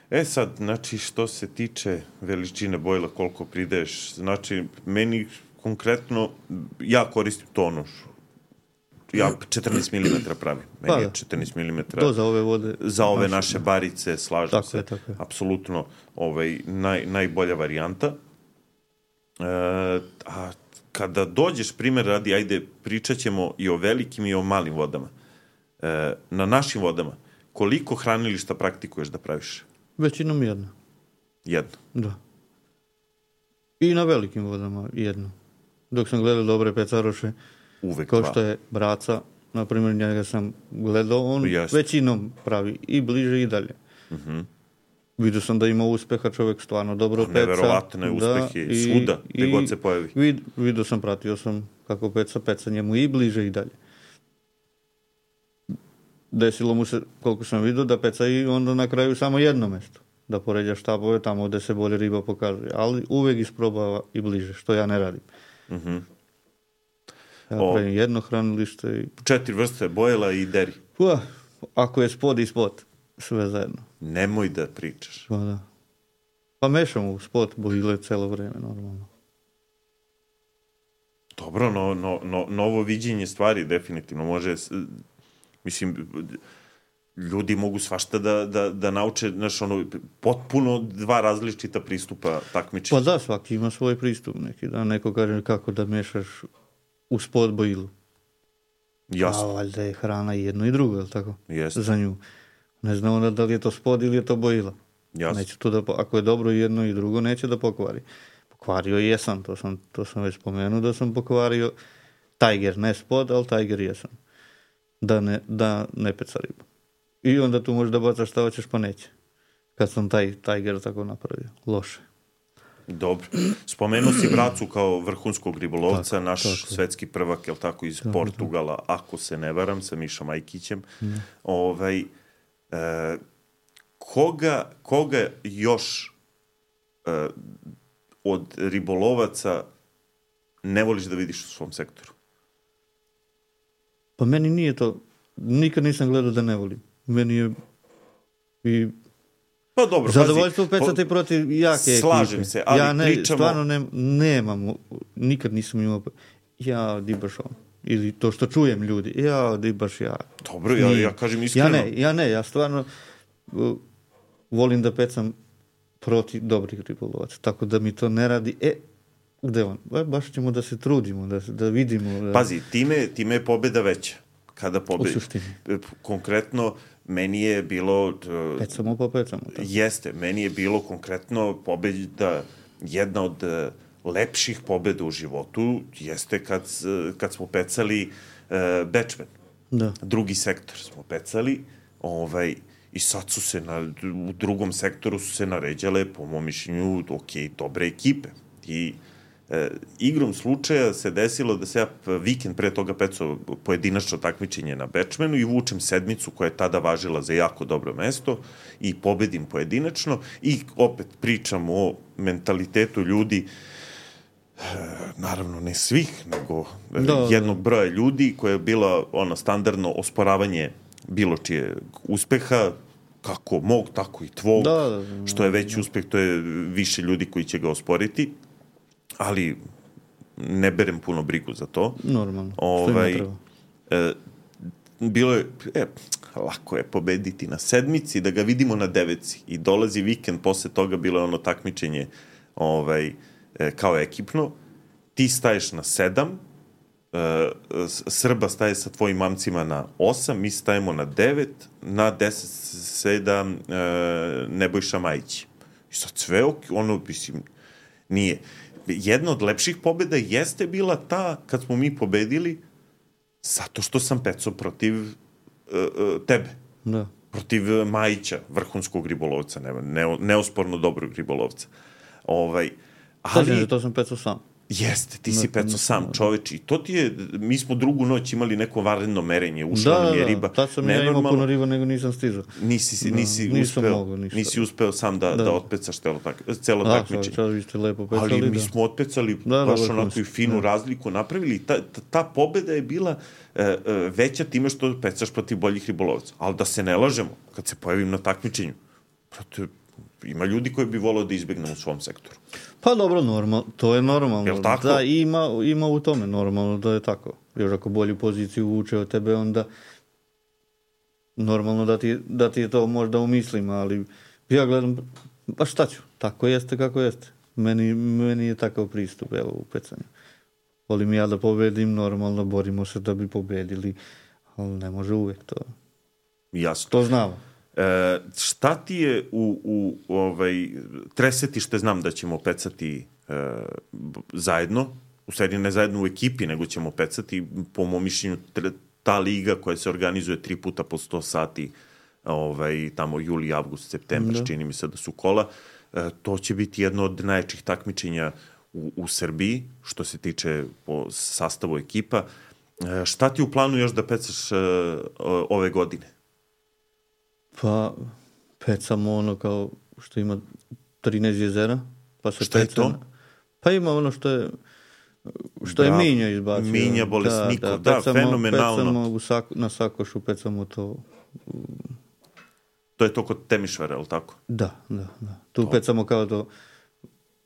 E sad, znači, što se tiče veličine bojla, koliko prideš, znači, meni konkretno, ja koristim tonuš. Ja četrnaest milimetara pravim. Meni pa, je četrnaest milimetara. To za ove vode. Za ove naše, naše barice, slažem tako se. je, tako je. Apsolutno ovaj, naj, najbolja varijanta. E, a kada dođeš, primjer radi, ajde, pričat ćemo i o velikim i o malim vodama. E, na našim vodama, koliko hranilišta praktikuješ da praviš? Većinom jedno. Jedno. Da. I na velikim vodama jedno. Dok sam gledao dobre pecaroše, Uvek kao dva. što je Braca, na primjer njega sam gledao, on Jasne. većinom pravi i bliže i dalje. Uh-huh. Vidio sam da ima uspeha, čovjek stvarno dobro peca. Neverovatne uspehe, i, svuda, gde i god se pojavi. Vid, vidio sam, pratio sam kako peca, peca njemu i bliže i dalje. Desilo mu se, koliko sam vidio, da peca i onda na kraju samo jedno mjesto. Da poređa štabove tamo gdje se bolje riba pokazuje. Ali uvijek isprobava i bliže, što ja ne radim. Uh-huh. Ja O. pravim jedno hranilište i... Četiri vrste bojela i deri. Ua, ako je spod i spod, sve zajedno. Nemoj da pričaš. Pa da. Pa mešam u spod bojile celo vreme, normalno. Dobro, no, no, no, novo viđenje stvari definitivno može, s- mislim, ljudi mogu svašta da, da, da nauče, znaš, ono, potpuno dva različita pristupa takmičenju. Pa da, svaki ima svoj pristup neki, da neko kaže kako da mešaš u spod bojilu. Jasno, A valjda je hrana i jedno i drugo, je li tako? Jeste. Za nju. Ne znam onda da li je to spod ili je to bojila. jasno. Neće to da, po- ako je dobro i jedno i drugo, neće da pokvari. Pokvario jesam, to sam, to sam već spomenuo da sam pokvario Tiger, ne spod, ali Tiger jesam. Da ne, da ne peca ribu. I onda tu možeš da bacaš šta hoćeš, pa neće. Kad sam taj Tiger tako napravio. Loše. Dobro. Spomenuo si Bracu kao vrhunskog ribolovca, Tako, naš tako je. svetski prvak, jel tako, iz Tako, Portugala, ako se ne varam, sa Mišom Ajkićem. Ovaj, e, koga, koga još uh, od ribolovaca ne voliš da vidiš u svom sektoru? Pa meni nije to, nikad nisam gledao da ne volim. Meni je i pa dobro, zadovoljstvo pecati po, protiv jake ekipe. Slažem se, ali ja ne, pričamo... stvarno ne, nemam, nikad nisam imao, ja di baš on. Ili to što čujem ljudi, ja di baš ja. Dobro, ja, ja kažem iskreno. Ja ne, ja ne, ja stvarno uh, volim da pecam protiv dobrih ribolovaca, tako da mi to ne radi, e, gde on? Ba, baš ćemo da se trudimo, da, da vidimo. Da... Pazi, time, time je pobjeda veća. Kada pobjeda, u suštini. Konkretno, meni je bilo... Uh, pecamo pa pecamo. Tako. Jeste, meni je bilo konkretno pobjeda, jedna od uh, lepših pobjeda u životu, jeste kad, uh, kad smo pecali uh, Bečmen. Da. Drugi sektor smo pecali, ovaj, i sad su se na, u drugom sektoru su se naređale, po mom mišljenju, ok, dobre ekipe. I e, igrom slučaja se desilo da se ja vikend pre toga pecao pojedinačno takmičenje na Bečmenu i vučem sedmicu koja je tada važila za jako dobro mesto i pobedim pojedinačno i opet pričam o mentalitetu ljudi, e, naravno ne svih, nego da, jednog broja ljudi koja je bila ono standardno osporavanje bilo čije uspeha, kako mog, tako i tvog, da, da, da, što je veći uspeh, to je više ljudi koji će ga osporiti, ali ne berem puno brigu za to. Normalno, ovaj, što im e, bilo je, e, lako je pobediti na sedmici, da ga vidimo na devetci i dolazi vikend, posle toga bilo je ono takmičenje ovaj, e, kao ekipno, ti staješ na sedam, Uh, Srba staje sa tvojim mamcima na osam, mi stajemo na devet, na deset sedam uh, Nebojša Majić. I sad sve, ono, mislim, nije. Jedna od lepših pobjeda jeste bila ta kad smo mi pobedili zato što sam pecao protiv uh, uh, tebe. Da. Protiv Majića, vrhunskog ribolovca, ne, ne, neosporno dobrog ribolovca. Ovaj, ali... Kažem, to sam pecao sam. Jeste, ti si pecao sam, čoveč, i to ti je, mi smo drugu noć imali neko vanredno merenje, ušla nam je riba. Da, tad sam nenormalno, ja imao puno riba, nego nisam stizao. Nisi, nisi, da, uspeo, mogu, nisi uspeo sam da, da. da otpecaš celo, tak, celo da, takmičenje. Da, vi ste lepo pecali. Ali mi smo otpecali da, baš da, onako i finu da. razliku napravili. Ta, ta, ta pobeda je bila uh, uh, veća time što pecaš protiv boljih ribolovaca. Ali da se ne lažemo, kad se pojavim na takmičenju, protiv, ima ljudi koji bi volao da izbjegnu u svom sektoru. Pa dobro, normal, to je normalno. Jel tako? Da, ima, ima u tome normalno da je tako. Još ako bolju poziciju vuče od tebe, onda normalno da ti, da ti je to možda umislim, ali ja gledam, pa šta ću, tako jeste kako jeste. Meni, meni je takav pristup, evo, u pecanju. Volim ja da pobedim, normalno borimo se da bi pobedili, ali ne može uvek to. Jasno. To znamo. E, šta ti je u, u ovaj, tresetište, znam da ćemo pecati e, zajedno, u stvari ne zajedno u ekipi, nego ćemo pecati, po mom mišljenju, ta liga koja se organizuje tri puta po sto sati, ovaj, tamo juli, avgust, septembar, da. Čini mi se da su kola, e, to će biti jedno od najjačih takmičenja u, u Srbiji, što se tiče po sastavu ekipa. E, šta ti u planu još da pecaš e, ove godine? Pa, pecamo ono kao što ima trinaest jezera. Pa se šta je to? Na... Pa ima ono što je što Bravo. je Minja izbacio. Minja Bolesnikov, da, da, pecamo, da fenomenalno. Pecamo u Sako, na Sakošu, pecamo to. To je to kod Temišvara, je li tako? Da, da, da. Tu to. Pecamo kao to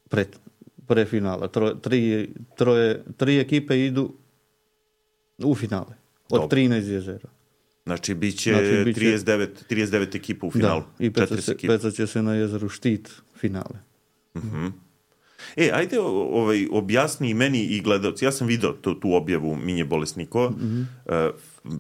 pre, pre finala. Tro, tri, troje, tri ekipe idu u finale. Od Dobre. trinaest jezera. Znači, bit će znači, biće... trideset devet, trideset devet ekipa u finalu. Da, i peca se, peca će se na jezeru Štit finale. Uh-huh. E, ajde ovaj, objasni i meni i gledalci. Ja sam vidio tu, tu objavu Minje Bolesnikova. Uh-huh. Uh,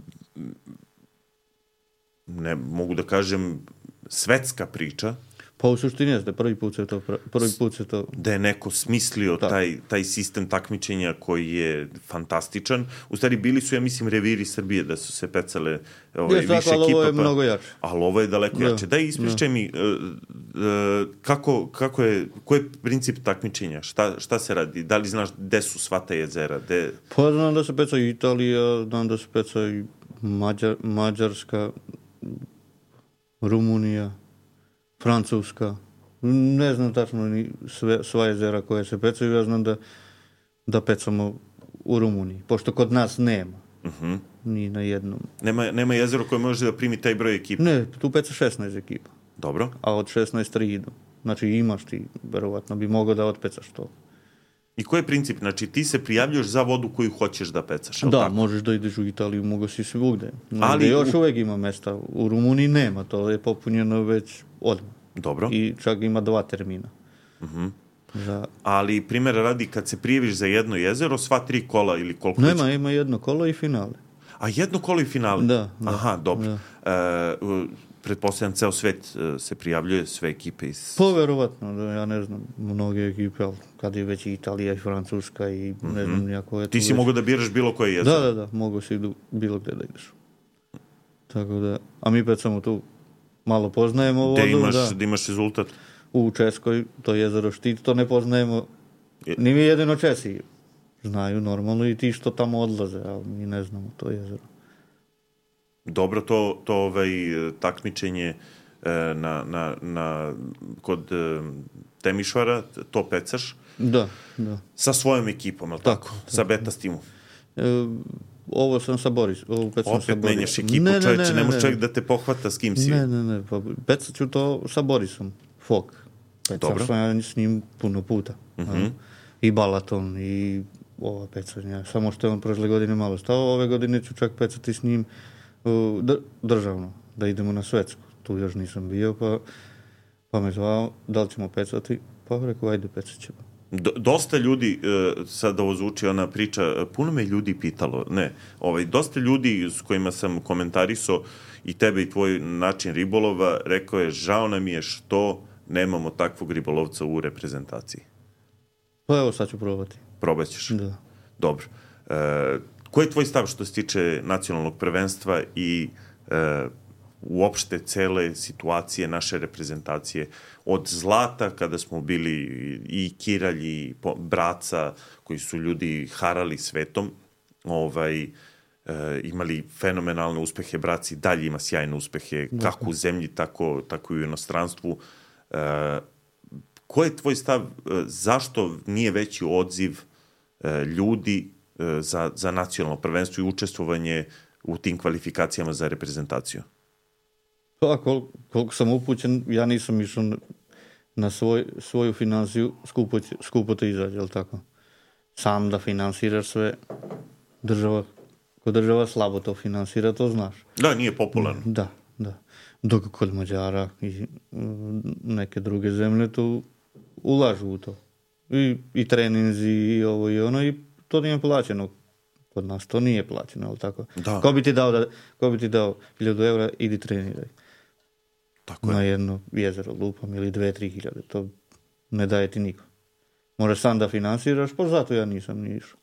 ne mogu da kažem svetska priča. Pa u suštini jeste, prvi put se to... Prvi put se to... Da je neko smislio taj, taj sistem takmičenja koji je fantastičan. U stvari, bili su, ja mislim, reviri Srbije da su se pecale ovaj, više tako, ali ekipa. Ovo je pa... mnogo jače. Ali ovo je daleko da. jače. Daj, ispričaj da. mi, uh, uh, kako, kako je, koji je princip takmičenja? Šta, šta se radi? Da li znaš gde su sva ta jezera? De... Pa znam da se peca i Italija, znam da se peca i Mađar, Mađarska, Rumunija. Francuska. Ne znam tačno ni sve, sva jezera koje se pecaju, ja znam da, da pecamo u Rumuniji, pošto kod nas nema. Uh-huh. Ni na jednom. Nema, nema jezero koje može da primi taj broj ekipa? Ne, tu peca šesnaest ekipa. Dobro. A od šesnaest tri idu. Znači imaš ti, verovatno bi mogao da otpecaš to. I koji je princip? Znači ti se prijavljuješ za vodu koju hoćeš da pecaš, da, tako? možeš da ideš u Italiju, mogo si svugde. Ali još u... uvek ima mesta. U Rumuniji nema, to je popunjeno već odmah. Dobro. I čak ima dva termina. Uh-huh. Za... Ali primjera radi, kad se prijaviš za jedno jezero, sva tri kola ili koliko... Nema, već... ima jedno kolo i finale. A jedno kolo i finale? Da. da Aha, dobro. Da. E, pretpostavljam, ceo svet se prijavljuje, sve ekipe iz... Pa verovatno, da, ja ne znam, mnoge ekipe, ali kad je već i Italija i Francuska i ne mm-hmm. znam nijako je... Ti si već... mogao da biraš bilo koje jezero? Da, da, da, mogu si idu bilo gde da ideš. Tako da, a mi pet samo tu malo poznajemo vodu. Gde imaš, da. da imaš rezultat? U Českoj, to jezero Štit, to ne poznajemo, ni mi jedino Česi znaju normalno i ti što tamo odlaze, ali mi ne znamo to jezero. Dobro, to, to ovaj, takmičenje na, na, na, kod Temišvara, to pecaš? Da, da. Sa svojom ekipom, ali tako? tako? Sa Beta Steamom? E, ovo sam sa Boris. Ovo pet sam Opet sa Boris. menjaš ekipu, ne, čovječe, ne, ne, ne, ne može ne. čovjek da te pohvata s kim si. Ne, ne, ne, pa pecat ću to sa Borisom, Fok. Pecao sam ja s njim puno puta. Uh-huh. I Balaton, i ova pecanja. Samo što je on prošle godine malo stao, ove godine ću čak pecati s njim uh, državno, da idemo na svetsku. Tu još nisam bio, pa, pa me zvao, da li ćemo pecati? Pa rekao, ajde, pecat ćemo. Do, dosta ljudi, uh, sad ovo zvuči ona priča, puno me ljudi pitalo, ne, ovaj, dosta ljudi s kojima sam komentarisao i tebe i tvoj način ribolova, rekao je, žao nam je što nemamo takvog ribolovca u reprezentaciji. Pa evo, sad ću probati. Probat ćeš? Da. Dobro. E, koji je tvoj stav što se tiče nacionalnog prvenstva i e, uopšte cele situacije naše reprezentacije? Od zlata, kada smo bili i Kiralj i Braca, koji su ljudi harali svetom, ovaj, e, imali fenomenalne uspehe, Braci dalje ima sjajne uspehe, da. Kako u zemlji, tako, tako i u inostranstvu. E, koji je tvoj stav, zašto nije veći odziv e, ljudi e, za, za nacionalno prvenstvo i učestvovanje u tim kvalifikacijama za reprezentaciju? Pa, kol, koliko sam upućen, ja nisam išao na svoj, svoju finansiju, skupo, skupo te izađe, ali tako? Sam da finansiraš sve, država, ko država slabo to finansira, to znaš. Da, nije popularno. Da, da. Dok kod Mađara i neke druge zemlje tu ulažu u to. I, i treninzi i ovo i ono i to nije plaćeno. Kod nas to nije plaćeno, ali tako? Da. Ko bi ti dao, da, ko bi ti dao hiljadu eura, idi treniraj. Tako na je. jedno jezero lupam ili dve, tri hiljade. To ne daje ti niko. Moraš sam da finansiraš, pa zato ja nisam ni išao.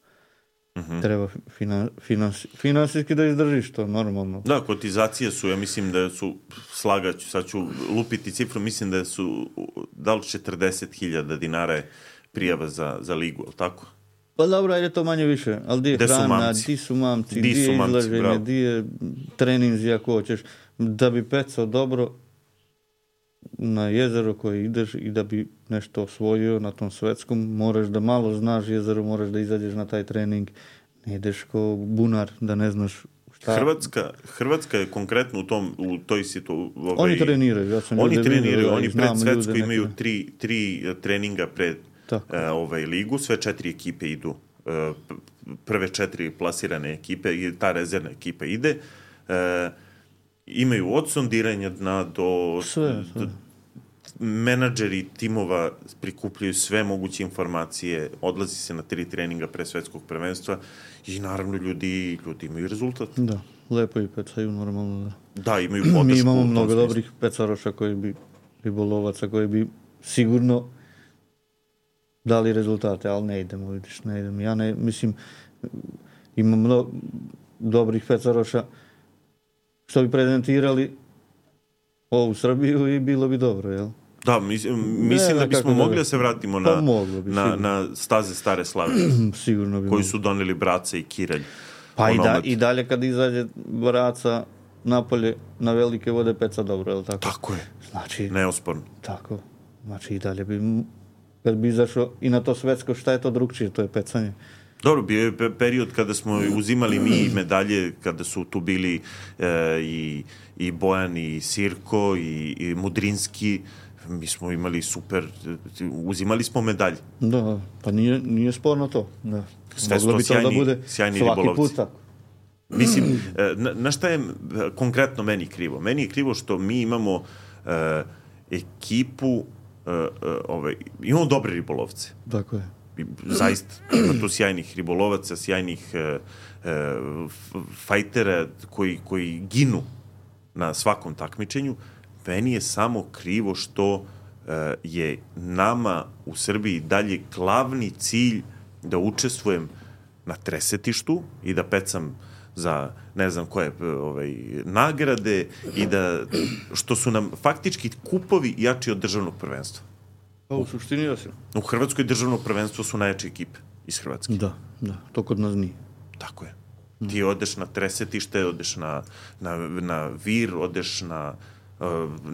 Uh-huh. Treba finan, finans, finansijski da izdržiš to, normalno. Da, kotizacije su, ja mislim da su, slagaću, sad ću lupiti cifru, mislim da su, da li četrdeset hiljada dinara je prijava za, za ligu, ali tako? Pa dobro, ajde to manje više, ali di je hrana, di su mamci, di je izlaženje, di je treninzi ako hoćeš. Da bi pecao dobro na jezero koje ideš i da bi nešto osvojio na tom svetskom, moraš da malo znaš jezero, moraš da izađeš na taj trening, ne ideš ko bunar, da ne znaš šta. Hrvatska, Hrvatska je konkretno u, tom, u toj situaciji. Ovaj, oni treniraju, ja sam Oni ljude treniraju, vidio, oni pred svetsku imaju neke... tri, tri treninga pred uh, ovaj, ligu, sve četiri ekipe idu. Uh, prve četiri plasirane ekipe i ta rezervna ekipa ide. Uh, imaju od sondiranja dna do... Sve, sve. do menadžeri timova prikupljaju sve moguće informacije, odlazi se na tri treninga pre svetskog prvenstva i naravno ljudi, ljudi imaju rezultat. Da, lepo i pecaju normalno. Da, da imaju podršku. Mi imamo mnogo dobrih pecaroša koji bi, ribolovaca koji bi sigurno dali rezultate, ali ne idemo, vidiš, ne idemo. Ja ne, mislim, imam mnogo dobrih pecaroša što bi prezentirali ovu Srbiju i bilo bi dobro, jel? Da, mislim, mislim da bismo mogli da se vratimo na, bi, na, na staze Stare Slave. Sigurno bi koji su doneli Braca i Kiralj. Pa i, da, i dalje kad izađe Braca napolje na velike vode peca dobro, je li tako? Tako je. Znači, neosporno. Tako. Znači i dalje bi, kad bi izašao i na to svetsko, šta je to drugčije, to je pecanje. Dobro, bio je period kada smo uzimali mi medalje, kada su tu bili e, i, i Bojan, i Sirko, i, i Mudrinski, mi smo imali super, uzimali smo medalje. Da, pa nije, nije sporno to. Da. Sve su to bi sjajni, to da bude sjajni svaki ribolovci. put tako. Mislim, na, na šta je konkretno meni krivo? Meni je krivo što mi imamo uh, ekipu, uh, uh, ovaj, imamo dobre ribolovce. Tako je. Zaista, ima tu sjajnih ribolovaca, sjajnih uh, uh, fajtera koji, koji ginu na svakom takmičenju. Meni je samo krivo što uh, je nama u Srbiji dalje glavni cilj da učestvujem na tresetištu i da pecam za ne znam koje ovaj, nagrade i da, što su nam faktički kupovi jači od državnog prvenstva. Pa u suštini ja sam. U Hrvatskoj državno prvenstvo su najjače ekipe iz Hrvatske. Da, da, to kod nas nije. Tako je. Ti odeš na tresetište, odeš na, na, na Vir, odeš na uh,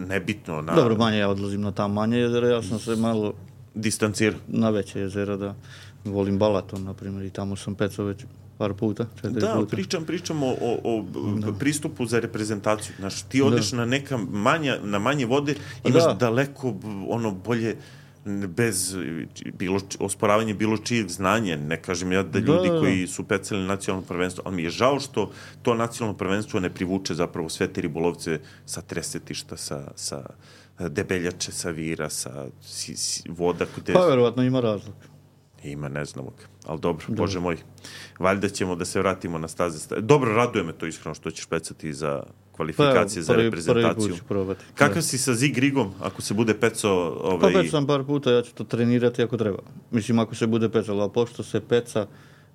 nebitno na... Dobro, manje ja odlazim na ta manje jezera, ja sam se malo... distancir. Na veće jezera, da. Volim Balaton, na primjer, i tamo sam pecao već par puta, četiri da, puta. pričam, pričam o, o, o da. pristupu za reprezentaciju. Znaš, ti odeš da. na neka manja, na manje vode, imaš da. daleko ono bolje bez bilo, osporavanje bilo čijeg znanja. Ne kažem ja da ljudi da, da. koji su pecali nacionalno prvenstvo, ali mi je žao što to nacionalno prvenstvo ne privuče zapravo sve te ribolovce sa tresetišta, sa, sa Debeljače, sa Vira, sa si, si, voda. Kude... Pa verovatno ima razlog. Ima, ne znamo ga. Ali dobro, dobro, Bože moj. Valjda ćemo da se vratimo na staze. Dobro, raduje me to iskreno što ćeš pecati za kvalifikacije, pa, prvi, za reprezentaciju. Prvi put ću probati. Kakav da. si sa Zigrigom, ako se bude pecao... Ovaj... Pa pecao sam par puta, ja ću to trenirati ako treba. Mislim, ako se bude pecalo, a pošto se peca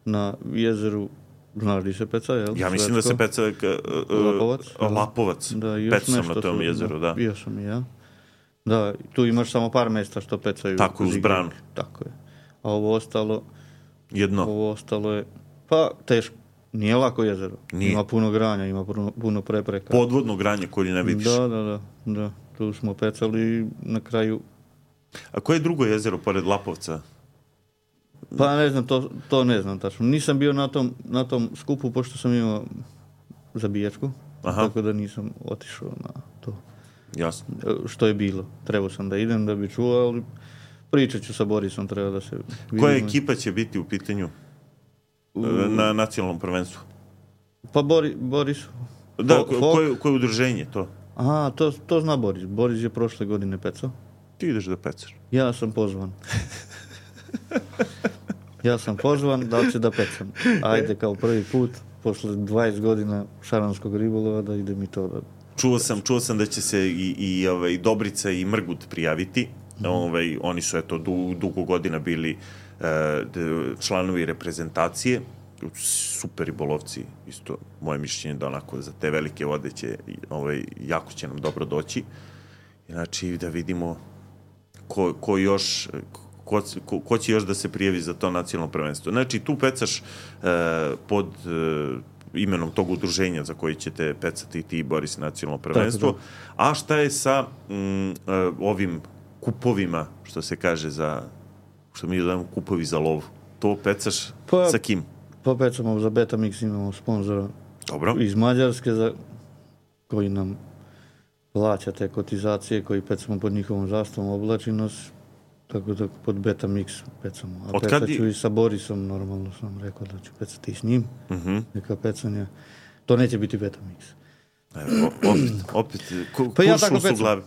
na jezeru, znaš di se peca, jel? Ja mislim Svetsko? da se peca... Uh, Lapovac. Lapovac. Da, pecao sam na tom su, jezeru, da. Bio sam i ja. Da, tu imaš samo par mesta što pecaju. Tako, uz branu. Tako je. A ovo ostalo... Jedno. Ovo ostalo je... Pa, teško. Nije lako jezero. Nije. Ima puno granja, ima puno, puno prepreka. Podvodno granje koje ne vidiš. Da, da, da, da. Tu smo pecali na kraju... A koje je drugo jezero pored Lapovca? Pa ne znam, to, to ne znam tačno. Nisam bio na tom, na tom skupu, pošto sam imao zabijačku. Aha. Tako da nisam otišao na to. Jasno. Što je bilo. Trebao sam da idem, da bi čuo, ali... Pričat ću sa Borisom, treba da se... Vidimo. Koja ekipa će biti u pitanju u... na nacionalnom prvenstvu? Pa Bori, Boris... Da, Fo, koje, koje udruženje to? Aha, to, to zna Boris. Boris je prošle godine pecao. Ti ideš da pecaš? Ja sam pozvan. ja sam pozvan da će da pecam. Ajde kao prvi put, posle dvadeset godina šaranskog ribolova, da ide mi to da... Čuo sam, čuo sam da će se i, i ovaj, Dobrica i Mrgut prijaviti. Mm. Ovaj, oni su eto du, dugo godina bili uh, članovi reprezentacije, super ribolovci, isto moje mišljenje da onako za te velike vode će, ovaj, jako će nam dobro doći. Znači da vidimo ko, ko još ko, ko, ko će još da se prijavi za to nacionalno prvenstvo. Znači tu pecaš uh, pod uh, imenom tog udruženja za koji ćete pecati ti i Boris nacionalno prvenstvo. A šta je sa mm, uh, ovim kupovima, što se kaže za, što mi zovemo kupovi za lovu? To pecaš pa, sa kim? Pa pecamo za Betamix, imamo sponzora Dobro. iz Mađarske za, koji nam plaća te kotizacije, koji pecamo pod njihovom zastavom, oblači nas, tako da pod Betamix pecamo. A pecaću je... i sa Borisom, normalno sam rekao da ću pecati i s njim, uh-huh. neka pecanja. To neće biti Betamix. Evo, opet, opet, ku, pa ja tako pecam. Glavi.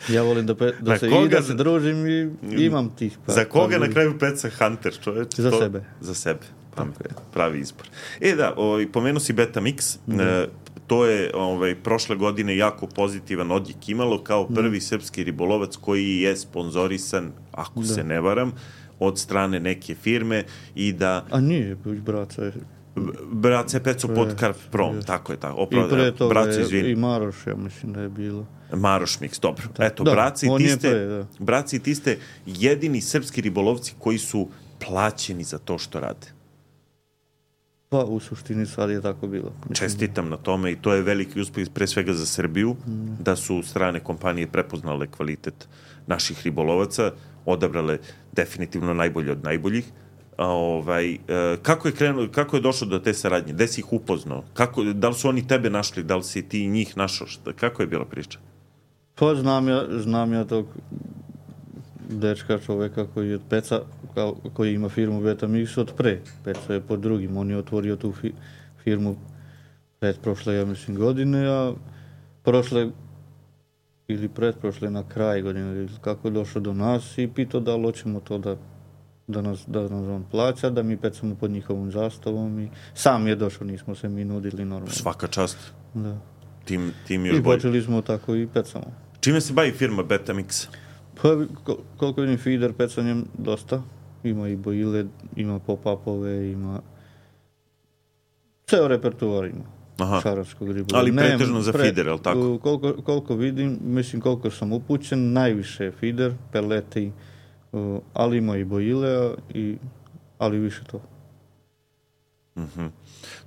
Ja volim da, pe, da se i da se družim i imam tih. Pa, za koga pa, na kraju peca Hunter, čoveč? Za to, sebe. Za sebe. Pa, pravi izbor. E da, ovaj, pomenu si Betamix, mm. e, to je ovaj, prošle godine jako pozitivan odjek imalo kao prvi mm. srpski ribolovac koji je sponzorisan, ako da. se ne varam, od strane neke firme i da... A nije, braca je... Braca je peco pod Karp Prom, yes. tako je tako. Opra, I pre toga je i Maroš, ja mislim da je bilo. Maroš Mix, dobro. Da. Eto, da, braci, ti ste, pre, braci ti ste jedini srpski ribolovci koji su plaćeni za to što rade. Pa u suštini sad je tako bilo. Čestitam na tome i to je veliki uspeh pre svega za Srbiju, mm. da su strane kompanije prepoznale kvalitet naših ribolovaca, odabrale definitivno najbolje od najboljih. A, ovaj, kako je krenuo, kako je došlo do te saradnje? Gde si ih upoznao? Kako, da li su oni tebe našli? Da li si ti njih našao? Šta, kako je bila priča? Pa znam ja, znam ja tog dečka čoveka koji je od Peca, koji ima firmu Betamix od pre. Peca je pod drugim. On je otvorio tu fi, firmu pred prošle, ja mislim, godine, a prošle ili pretprošle na kraj godine, kako je došao do nas i pitao da li hoćemo to da, da, nas, da nas on plaća, da mi pecamo pod njihovom zastavom i sam je došao, nismo se mi nudili normalno. Svaka čast. Da. Tim, tim još I počeli smo tako i pecamo. Čime se bavi firma Betamix? Pa koliko vidim feeder pecanjem dosta. Ima i bojile, ima pop-upove, ima ceo repertoar ima. Aha. Šarovskog ribolova. Ali pretežno za pre, feeder, je li tako? Koliko, koliko vidim, mislim koliko sam upućen, najviše je feeder, peleti, uh, ali ima i bojile, i, ali više to. Mm-hmm.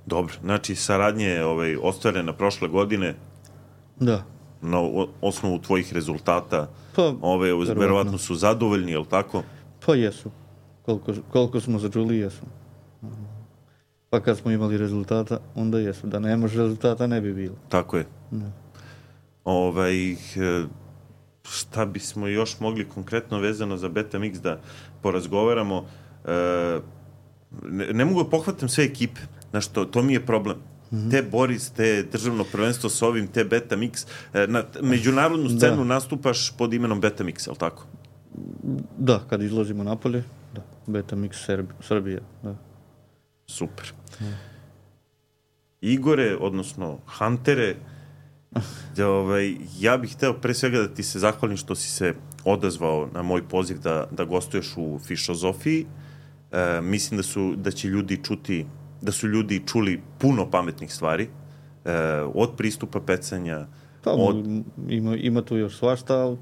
Dobro, znači saradnje je ovaj, ostvarena prošle godine. Da. Na osnovu tvojih rezultata, pa, ove, verovatno su zadovoljni, je li tako? Pa jesu. Koliko, koliko smo začuli, jesu. Pa kad smo imali rezultata, onda jesu. Da nemaš rezultata, ne bi bilo. Tako je. Da. Ovaj, šta bismo još mogli konkretno vezano za Betamix da porazgovaramo? Ne, ne mogu da pohvatam sve ekipe. Znaš, to, to mi je problem. Mm-hmm. Te Boris, te državno prvenstvo s ovim, te Betamix. Na međunarodnu scenu da. Nastupaš pod imenom Betamix, je li tako? Da, kad izlazimo napolje, da. Betamix Serbi, Srbija, da. Super. Mm. Igore, odnosno Huntere, da, ovaj, ja bih hteo pre svega da ti se zahvalim što si se odazvao na moj poziv da, da gostuješ u Fišozofiji. E, mislim da su, da će ljudi čuti, da su ljudi čuli puno pametnih stvari, e, od pristupa pecanja, pa, od... ima, ima tu još svašta, ali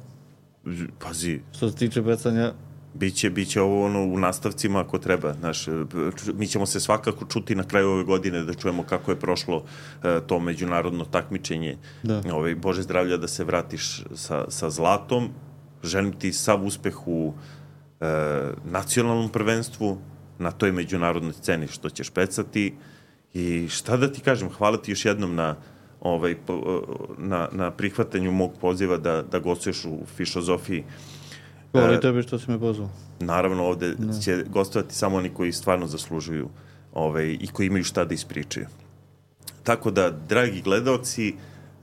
pazi, što se tiče pecanja, Biće, biće ovo ono u nastavcima ako treba, znaš, mi ćemo se svakako čuti na kraju ove godine da čujemo kako je prošlo uh, to međunarodno takmičenje. Da. Ovaj, Bože zdravlja da se vratiš sa, sa zlatom. Želim ti sav uspeh u uh, nacionalnom prvenstvu, na toj međunarodnoj sceni što ćeš pecati. I šta da ti kažem, hvala ti još jednom na, ovaj, na, na prihvatanju mog poziva da, da gostuješ u Fišozofiji. Hvala tebi što si me pozvao. Naravno, ovde ne. će gostovati samo oni koji stvarno zaslužuju ovaj, i koji imaju šta da ispričaju. Tako da, dragi gledaoci,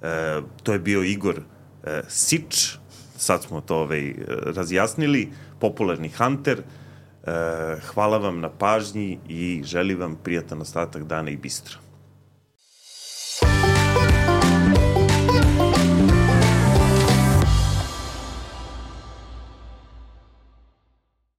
e, to je bio Igor e, Sič, sad smo to ovaj, razjasnili, popularni Hunter. E, hvala vam na pažnji i želim vam prijatan ostatak dana i bistro.